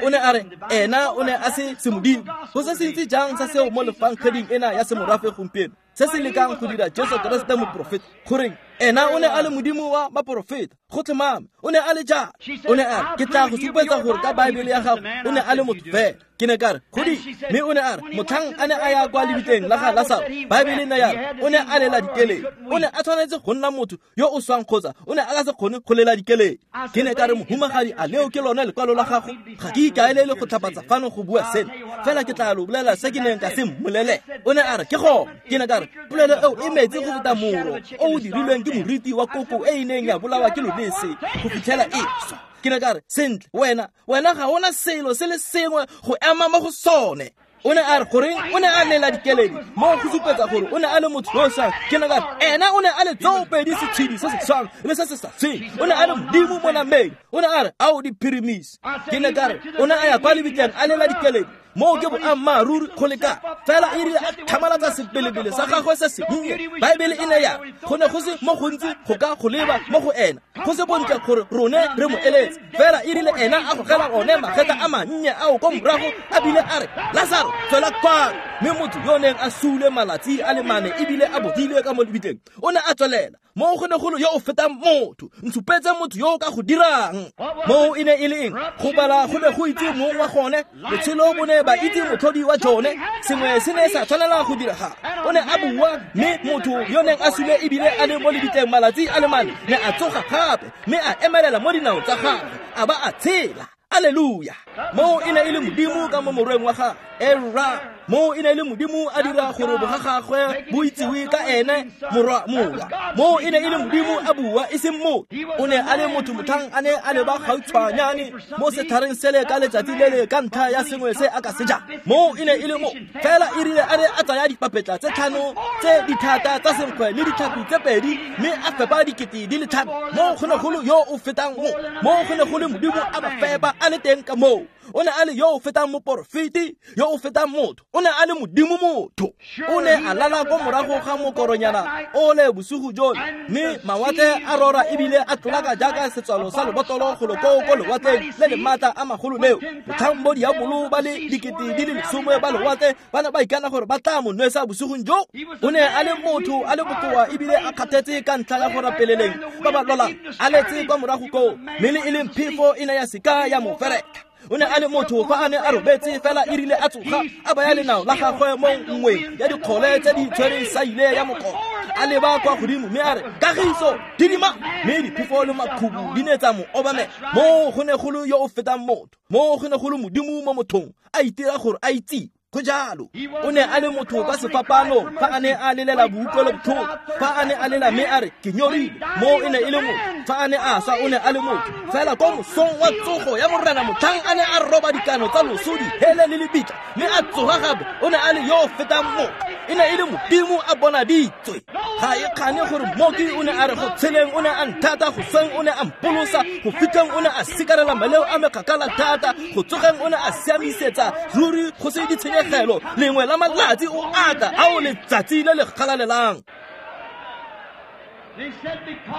Speaker 1: O ne a re, ena o ne a se semodimo. Go se se ntse jang sa seo mo lefankgeding ena ya semorafe gompieno, se se lekang go dira Jesu Keresete moprofeta. Goreng, ena o ne a le Modimo wa baporofeta. Go tlhomame, o ne a le jalo. O ne a re, ke tla go supetsa gore ka Baebele ya gago o ne a le motho fela. Ke ne ka re, godi. Mme o ne a re, motlhang a ne a ya kwa lebitleng la ga Lasaro, Baebele ne ya re, o ne a lela dikeledi. O ne a tshwanetse go nna motho yo o swang kgotsa o ne a ka se kgone go lela dikeledi. Ke ne ka re, mohumagadi, a leo ke lone lekwalo la gago? Ga ke ikaelele go tlhapatsa fano go bua seno, fela ke tla lo bolela se ke neng ka se mmolele. O ne a re, ke gone. Ke ne ka re, polelo eo e metsi go feta moro o o dirilweng ke moriti wa koko e e neng ya bolawa ke lolese go fitlhela e swa. Ke ne ka re, sentle, wena wena ga ona selo se le sengwe go ema mo go sone. O ne a re, goreng o ne a lela dikeledi mo go supetsa gore o ne a le motho yo o swang. Ke ne ka re, ena o ne a le tsoopedi setshedi se se swang le se se sa tshweng. O ne a le Modimo mo nameng. O ne a re, ao diphirimisi. Ke ne ka re, o ne a ya kwa lebitleng a lela dikeledi. Moo ke boammaaruri go leka. Fela e rile a tlhamalatsa sebelebele sa gagwe se sennye, Baebele e ne ya re, go ne go se mo gontsi go ka go leba mo go ena, go se bontle gore rone re mo eletse. Fela e rile ena a gogela one magetla a mannye ao ko morago, a bile a re, Lasaro, Tswela kwano. Mme motho yo neng a sule malatsi a le mane ebile a bodile ka mo lebitleng o ne a tswelela. Moo go ne go le yo o fetang motho. Ntshupetse motho yo o ka go dirang. Moo e ne e le eng? Go bala go ne go itse mong wa gone. Botshelo bo ne ba itse motlhodi wa jone. Sengwe se ne sa tshwanela go diragala. O ne a bua mme motho yo neng a sule ebile a le mo lebitleng malatsi a le mane ne a tsoga gape mme a emelela mo dinaong tsa gagwe a ba a tshela. Alleluia. Moo e ne e le Modimo ka mo morweng wa gagwe. Era moo e ne e le Modimo a dira gore boga gagwe bo itsiwe ka ene morwa mowa. Moo e ne e le Modimo a bua e seng motho. O ne a le motho motlhang a ne a leba gautshwanyane mo setlhareng sele ka letsatsi le le ka ntlha ya sengwe se a ka se jang. Moo e ne e le mo fela e rile a ne a tsaya dipapetla tse tlhano tse dithata tsa senkgwe le ditlhapi tse pedi mme a fepa dikete di le tlhano. Moo go ne go le yo o fetang mo. Moo go ne go le Modimo a ba fepa a le teng ka moo. O ne a le yo o fetang moporofeti, yo o fetang motho. O ne a le Modimo motho. O ne a lala ko morago ga mokoronyana o le bosigo jole, mme mawatle a rora ebile a tlolaka jaaka setswalo sa lebotlolo golo koo ko lewatleng le le maatla a magolo leo. Motlhang bo diabolo ba le dikete di le lesome ba lewatle ba ne ba ikana gore ba tla mo nwesa bosigong jo. O ne a le motho a le bokoa ebile a kgathetse ka ntlha ya go rapeleleng ba ba lwalang, a letse kwa morago koo, mme le e leng phefo e ne ya seka ya mo feretlha. O ne a le motho fa a ne a robetse fela e rile a tsoga a baya lenao la gagwe mo nngweng ya dikgole tse di tshwereng saile ya mokoro. A leba kwa godimo mme a re, kagiso, didima. Mme diphefo le makhubu di ne tsa mo obamela. Moo go ne go le yo o fetang motho. Moo go ne go le Modimo mo mothong a itira gore a itse. Go jalo. O ne a le motho ka sefapanong fa a ne a lelela boutlwelobotlhoko. Fa a ne a lela mme a re, ke nyorile. Moo e ne e le motho. Fa a ne a swa o ne a le motho. Fela ko mosong wa tsogo ya Morena motlhang a ne a roba dikano tsa loso dihele le lebitla mme a tsoga gape, o ne a le yo o fetang motho. E ne e le Modimo a bonaditswe. Ga e kgane gore mmoki o ne a re go tsheleng o ne a nthata, go sweng o ne a mpolosa, go fitlheng o ne a sikarela maleo a me kgakala thata, go tsogeng o ne a siamisetsa ruri go se ditshenyegelo. Lengwe la malatsi o ata a o letsatsi le le galalelang.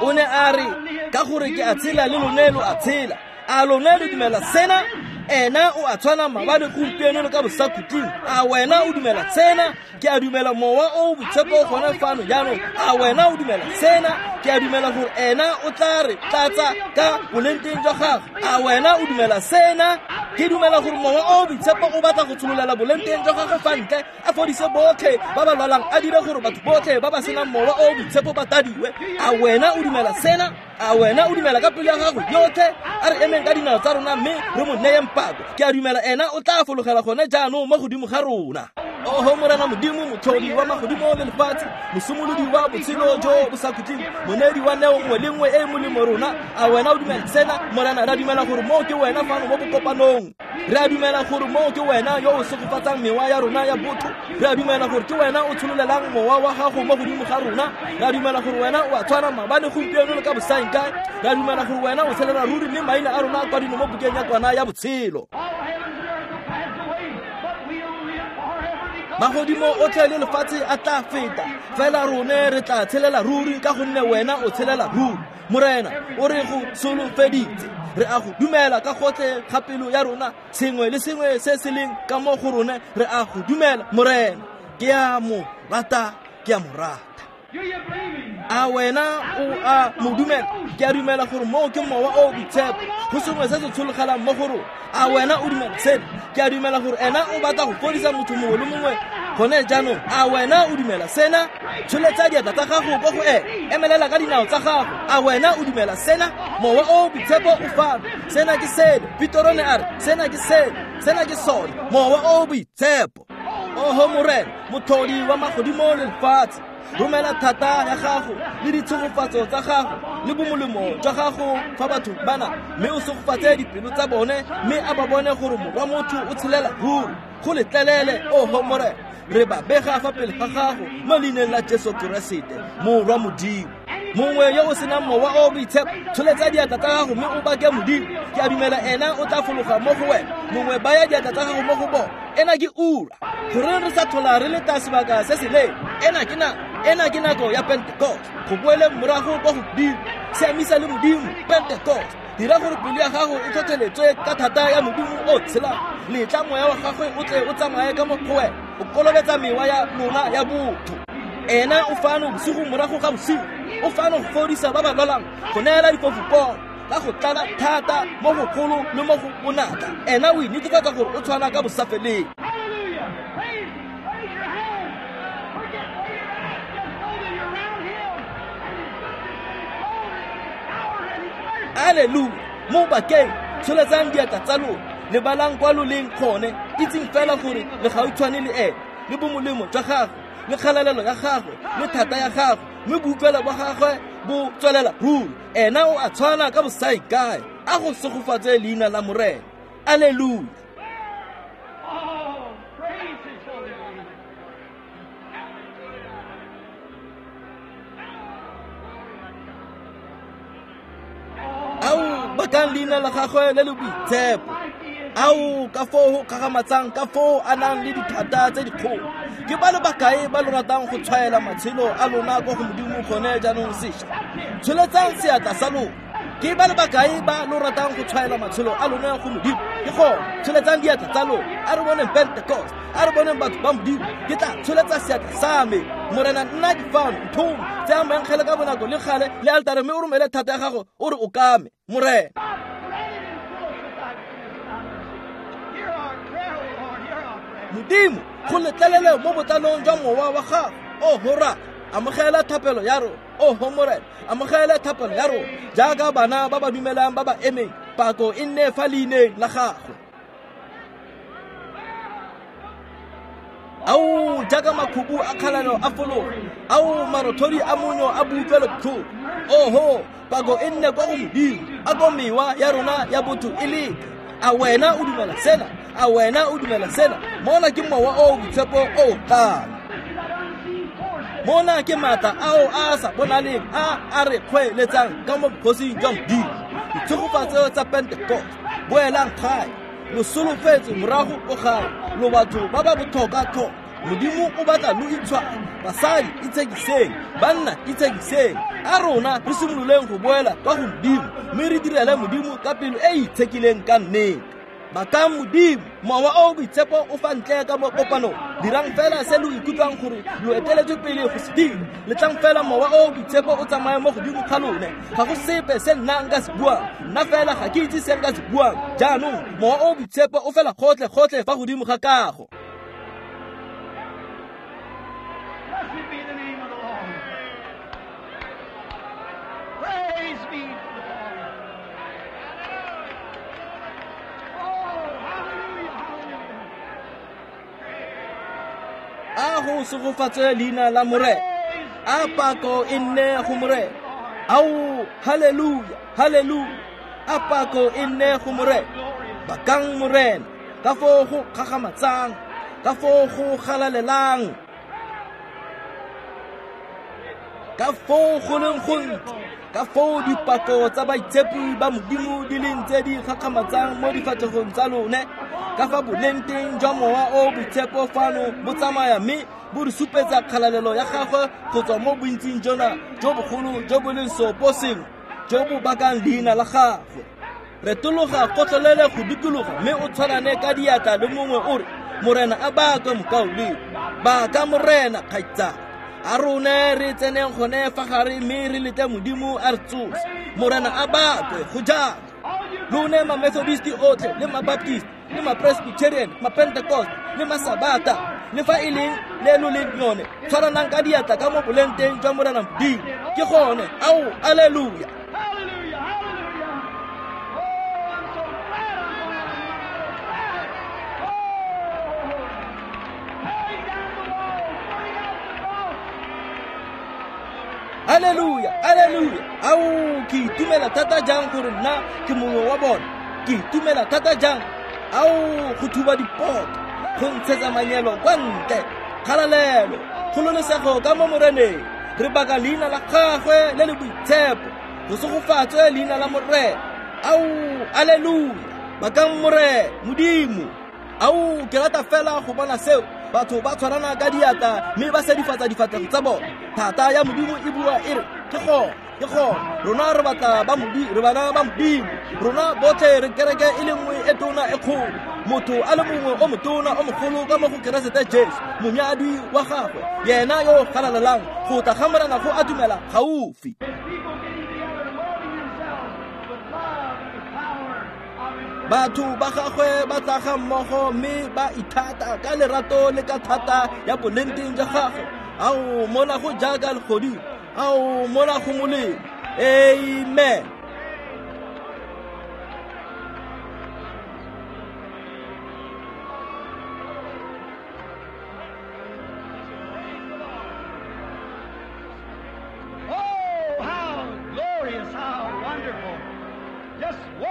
Speaker 1: O ne a re, ka gore ke a tshela le lone lo a tshela. A lone lo dumela sena? Ena o a tshwana maabane gompieno le ka bosakhutleng. A wena o dumela sena? Ke a dumela mowa o boitshepo gone fano jaanong. A wena o dumela sena? Ke a dumela gore ena o tla re tlatsa ka bolengteng jwa gagwe. A wena o dumela sena? Ke dumela gore mowa o boitshepo o batla go tshololela bolengteng jwa gagwe fa ntle, a fodise botlhe ba ba lwalang, a dire gore batho botlhe ba ba senang mowa o boitshepo ba tadiwe. A wena o dumela sena? A wena o dumela ka pelo ya gago yotlhe? A re emeng ka dinao tsa rona mme re mo neyeng pako. Ke a dumela ena o tla fologela gone jaanong mo godimo ga rona. Oho Morena Modimo, motlhodi wa magodimo le lefatshe, mosimolodi wa botshelo jo bo sa khutleng, moneedi wa neo nngwe le nngwe e e molemo rona. A wena o dumela sena? Morena, re a dumela gore moo ke wena fano mo bokopanong. Re a dumela gore moo ke wena yo o segofatsang mewa ya rona ya botho. Re a dumela gore ke wena o tshololelang mowa wa gago mo godimo ga rona. Re a dumela gore wena o a tshwana maabane gompieno le ka bosaengkae. Re a dumela gore wena o tshelela ruri mme maina a rona a kwadilwe mo bukeng ya kwana ya botshelo. Magodimo otlhe le lefatshe a tla feta, fela rone re tla tshelela ruri ka gonne wena o tshelela ruri. Morena, o re go solofeditse. Re a go dumela ka gotlhe ga pelo ya rona, sengwe le sengwe se se leng ka mo go rone re a go dumela. Morena, ke a mo rata, ke a mo rata. A wena o a mo dumela? Ke a dumela gore moo ke mowa o boitshepo, go sengwe se se tshologelang mo go rona. A wena o dumela sena? Ke a dumela gore ena o batla go fodisa motho mongwe le mongwe gone jaanong. A wena o dumela sena? Tsholetsa diatla tsa gago ko go ene, emelela ka dinao tsa gago. A wena o dumela sena? Mowa o boitshepo o fano. Sena ke sele. Petoro ne a re, sena ke sele, sena ke sone, mowa o boitshepo. Oho Morena, motlhodi wa magodimo le lefatshe, romela thata ya gago le ditshegofatso tsa gago le bomolemo jwa gago fa batho bana, mme o segofatse dipelo tsa bone, mme a ba bone gore morwa motho o tshelela ruri. Go letlelele, oho Morena, re ba bega fa pele ga gago mo leineng la Jesu Keresete, morwa Modimo. Mongwe yo o senang mowa o boitshepo, tsholetsa diatla tsa gago mme o bake Modimo. Ke a dumela ena o tla fologa mo go wena. Mongwe baya diatla tsa gago mo go bona. Ena ke ura. Goreng re sa tlhola re leta sebaka se se leele? Ena ke nako, ena ke nako ya Pentecost. Go boele morago kwa go Modimo. Siamisa le Modimo, Pentecost. Dira gore pelo ya gago e tlhotlheletswe ka thata ya Modimo o tshelang. Letla moya wa gagwe o tle o tsamaye ka mo go wena, o kolobetsa mewa ya lona ya botho. Ena o fano bosigo morago ga bosigo, o fano go fodisa ba ba lwalang, go neela difofu pono, ka go tlala thata mo go golo le mo go bonatla. Ena o inetefatsa gore o tshwana ka bosafeleng. Alleluia. Mo bakeng, tsholetsang diatla tsa lona, lebalang kwa lo leng gone, itseng fela gore le gautshwane le ene, le bomolemo jwa gagwe, le kgalalelo ya gagwe, le thata ya gagwe, mme boutlwelo bwa gagwe bo tswelela ruri. Ena o a tshwana ka bosaikae. A go segofatse leina la Morena. Alleluia. Ao bakang leina la gagwe le le boitshepo. Ao ka foo go kgakgamatsang, ka foo a nang le dithata tse dikgolo. Ke ba le bakae ba lo ratang go tshwaela matshelo a lona kwa go Modimo gone jaanong sešwa? Tsholetsang seatla sa lona. Ke ba le bakae ba lo ratang go tshwaela matshelo a lona go Modimo? Ke gone, tsholetsang diatla tsa lona. A re boneng Pentecost, a re boneng batho ba Modimo. Ke tla tsholetsa seatla sa me. Morena, nna ke fano, nthome. Tsaya moengele ka bonako le gale le altare, mme o romele thata ya gago o re o kame. Morena. Modimo, go letlelele mo botlalong jwa mowa wa gago. Oho Rara, amogela thapelo ya rona. Oho Morena, amogela thapelo ya rona. Jaaka bana ba ba dumelang ba ba emeng, pako e nne fa leineng la gagwe. Ao jaaka makhubu a kgalalelo a fologa, ao marothodi a monyo a boutlwelobotlhoko. Oho, pako e nne kwa go Modimo, a ko mewa ya rona ya botho e leke. A wena o dumela sena? A wena o dumela sena? Mona ke mowa o boitshepo o tlang. Mona ke maatla ao a sa bonaleng a a re kgweeletsang ka mo bogosing jwa Modimo. Ditshegofatso tsa Pentecost, boelang gae, lo solofetse morago ko gae, lo batho ba ba botlhokwa-tlhokwa. Modimo o batla lo itshware. Basadi itshekiseng, banna itshekiseng. A rona re simololeng go boela kwa go Modimo, mme re direle Modimo ka pelo e e itshekileng ka nnete. Bakang Modimo, mowa o boitshepo o fa ntle ka mo kopanong. Dirang fela se lo ikutlwang gore lo eteletswe pele go se dira. Letlang fela mowa o boitshepo o tsamaye mo godimo ga lone. Ga go sepe se nna nka se buang, nna fela ga ke itse se nka se buang. Jaanong mowa o boitshepo o fela gotlhe-gotlhe fa godimo ga kago.
Speaker 2: Blessed be the name of the Lord. Praise be to the Lord. Oh, hallelujah, hallelujah.
Speaker 1: A go segofatse leina la Morena. A pako e nne go Morena. Ao, haleluya, haleluya. A pako e nne go Morena. Bakang Morena, ka foo go kgakgamatsang, ka foo go galalelang, ka foo go leng gontle, ka foo dipako tsa baitshepi ba Modimo di leng tse di gakgamatsang mo difatlhegong tsa lone, ka fa boleng teng jwa mowa o boitshepo fano bo tsamaya mme bo re supetsa kgalalelo ya gagwe go tswa mo bontsing jona jo bogolo jo bo leng seopo sengwe jo bo bakang leina la gagwe. Retologa kotlolele go dikologa mme o tshwarane ka diatla le mongwe o re, Morena a bakwe mokaulengwe, baka Morena kgaitsadi. A rone re tseneng gone fa gare mme re lete Modimo a re tsose. Morena a bakwe go jalo. Lone ma-Methodist otlhe le ma-Baptist le ma-Presbyterian, ma-Pentecost le ma-Sabata, le fa e leng le lo leng yone, tshwaranang ka diatla ka mo boleng teng jwa Morena Modimo. Ke gone, ao, alleluia.
Speaker 2: Hallelujah, hallelujah. Oh, I'm so glad I'm going. I'm so glad. Oh, tearing down the wall, putting out the cross.
Speaker 1: Alleluia, alleluia. Ao, ke itumela thata jang gore nna ke mongwe wa bona. Ke itumela thata jang. Ao, go thuba dipoto, go ntshetsa manyelo kwa ntle. Kgalalelo, kgololesego ka mo Moreneng. Re baka leina la gagwe le le boitshepo. Go segofatswe leina la Morena. Ao, alleluia. Bakang Morena, Modimo. Ao, ke rata fela go bona seo. Batho ba tshwarana ka diatla mme ba sedifatsa difatlhego tsa bona. Thata ya Modimo e bua e re, ke gone, ke Ke gone rona re batla ba Modimo, re bana ba Modimo. Rona botlhe re kereke e le nngwe e tona e kgolo. Motho a le mongwe o motona o mogolo ka mo go Keresete Jesu, monyadi wa gagwe, yena yo galalelang go tla ga Morena go atumela gaufi. Batho ba gagwe ba tla ga mmogo mme ba ithata ka lerato le ka thata ya bolenteng jwa gagwe. Ao mona go jaaka legodimo, ao mona go molemo. Amen.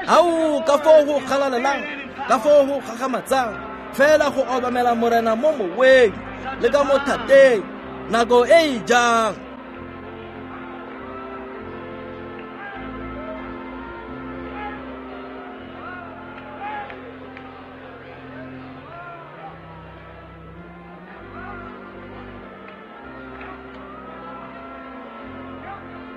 Speaker 1: Ao ka foo go galalelang, ka foo go gagamatsang, fela go obamela Morena mo moweng le ka mo thateng nako e e jang.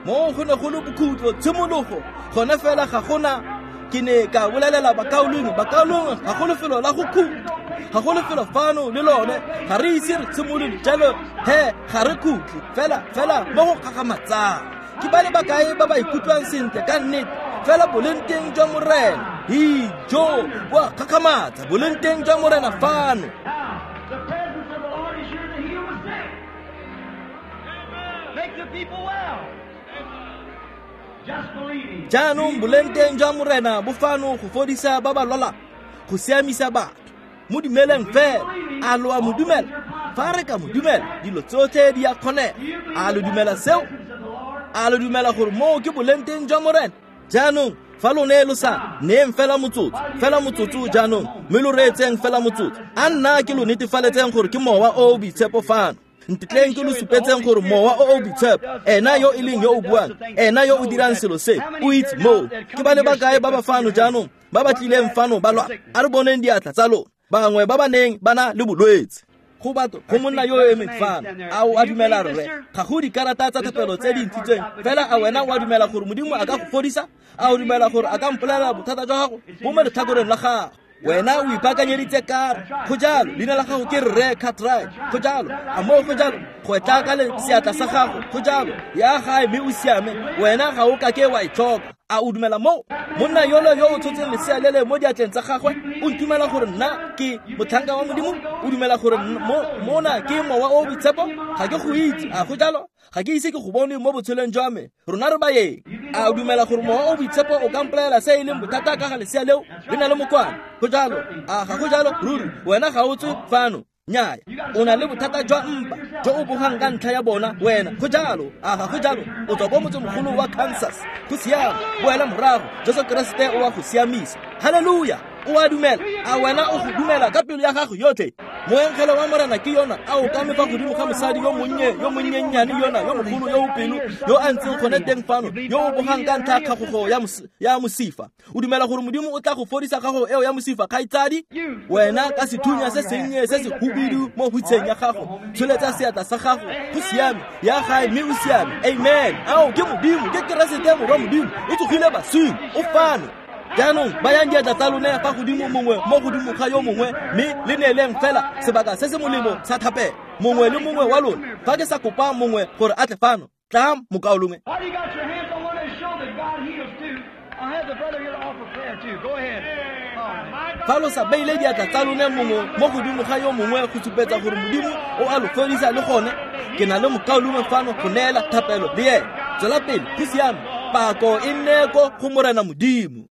Speaker 1: Mo go ne go le bokhutlo tshimologo gone fela ga gona. Ke ne ka bolelela bakaulengwe, bakaulengwe ga go lefelo la go khutla, ga go lefelo fano le lone, ga re ise re tshimolole jalo he ga re khutle fela fela mo go gagamatsang. Ke ba le bakae ba ba ikutlwang sentle ka nnete fela bolenteng jwa Morena? Ijo bo a gagamatsa bolenteng jwa Morena fano. Jaanong bolenteng jwa Morena bo fano go fodisa ba ba lwalang, go siamisa batho. Mo dumeleng fela. A lo a mo dumela? Fa re ka mo dumela, dilo tsotlhe di a kgonega. A lo dumela seo? A lo dumela gore moo ke bolenteng jwa Morena? Jaanong fa lone lo sa neeng fela motsotso, fela motsotso jaanong, mme lo reetseng fela motsotso. A nna ke lo netefaletseng gore ke Mowa o o Boitshepo fano. Ntetleng ke lo supetseng gore Mowa o o Boitshepo, ena yo e leng yo o buang, ena yo o dirang selo se, o itse moo. Ke ba le bakae ba ba fano jaanong ba ba tlileng fano ba lwa? A re boneng diatla tsa lona, bangwe ba ba neng ba na le bolwetse. Go batho go monna yo o emeng fano, a o a dumela rre? Ga go dikarata tsa thapelo tse di ntshitsweng fela. A wena o a dumela gore Modimo a ka go fodisa? A o dumela gore a ka mpolelela bothata jwa gago bo mo letlhakoreng la gago? Wena o ipaakanyeditse karo. Go jalo, leina la gago ke Rre Cartwright. Go jalo, a moo go jalo, go tla ka seatla sa gago. Go jalo, ya gae mme o siame, wena ga o kake wa e tlhoka. A o dumela moo? Monna yolo yo o tshotseng lesea lele mo diatleng tsa gagwe, o ntumela gore nna ke motlhanka wa Modimo? O dumela gore mona ke Mowa o o Boitshepo? Ga ke go itse, a go jalo? Ga ke ise ke go bone mo botshelong jwa me. Rona re baeng. A o dumela gore Mowa o Boitshepo o ka mpolelela se e leng bothata ka ga lesea leo le na le mokwane? Go jalo, a ga go jalo? Ruri wena ga o tswe fano. Nnyaya, o na le bothata jwa mpa jo o bogang ka ntlha ya bona wena. Go jalo, a ga go jalo? O tswa ko motsemogolo wa Kansas. Go siame, boela morago, Jesu Keresete o a go siamisa. Halleluja! O a dumela? A wena o go dumela ka pelo ya gago yotlhe? Moengele wa Morena ke yona a o kame fa godimo ga mosadi yo monnye, yo monnyennyane yona, yo mogolo yo o pelo, yo a ntseng gone teng fano, yo o bogang ka ntlha ya kgagogo ya mosifa. O dumela gore Modimo o tla go fodisa kgagogo eo ya mosifa, kgaitsadi? Wena ka sethunya se sennye se se hubidu mo hutsheng ya gago, tsholetsa seatla sa gago. Go siame, ya gae mme o siame. Amen. Ao ke Modimo, ke Keresete morwa Modimo, o tsogile baswing, o fano. Jaanong bayang diatla tsa lone fa godimo mongwe mo godimo ga yo mongwe, mme le neeleng fela sebaka se se molemo sa thapelo mongwe le mongwe wa lona. Fa ke sa kopa mongwe gore a tle fano, tla mokaulengwe. Fa lo sa beile diatla tsa lone mongwe mo godimo ga yo mongwe go supetsa gore Modimo o a lo fodisa le gone, ke na le mokaulengwe fano go neela thapelo le ene. Tswela pele, go siame. Pako e nne ko go Morena Modimo.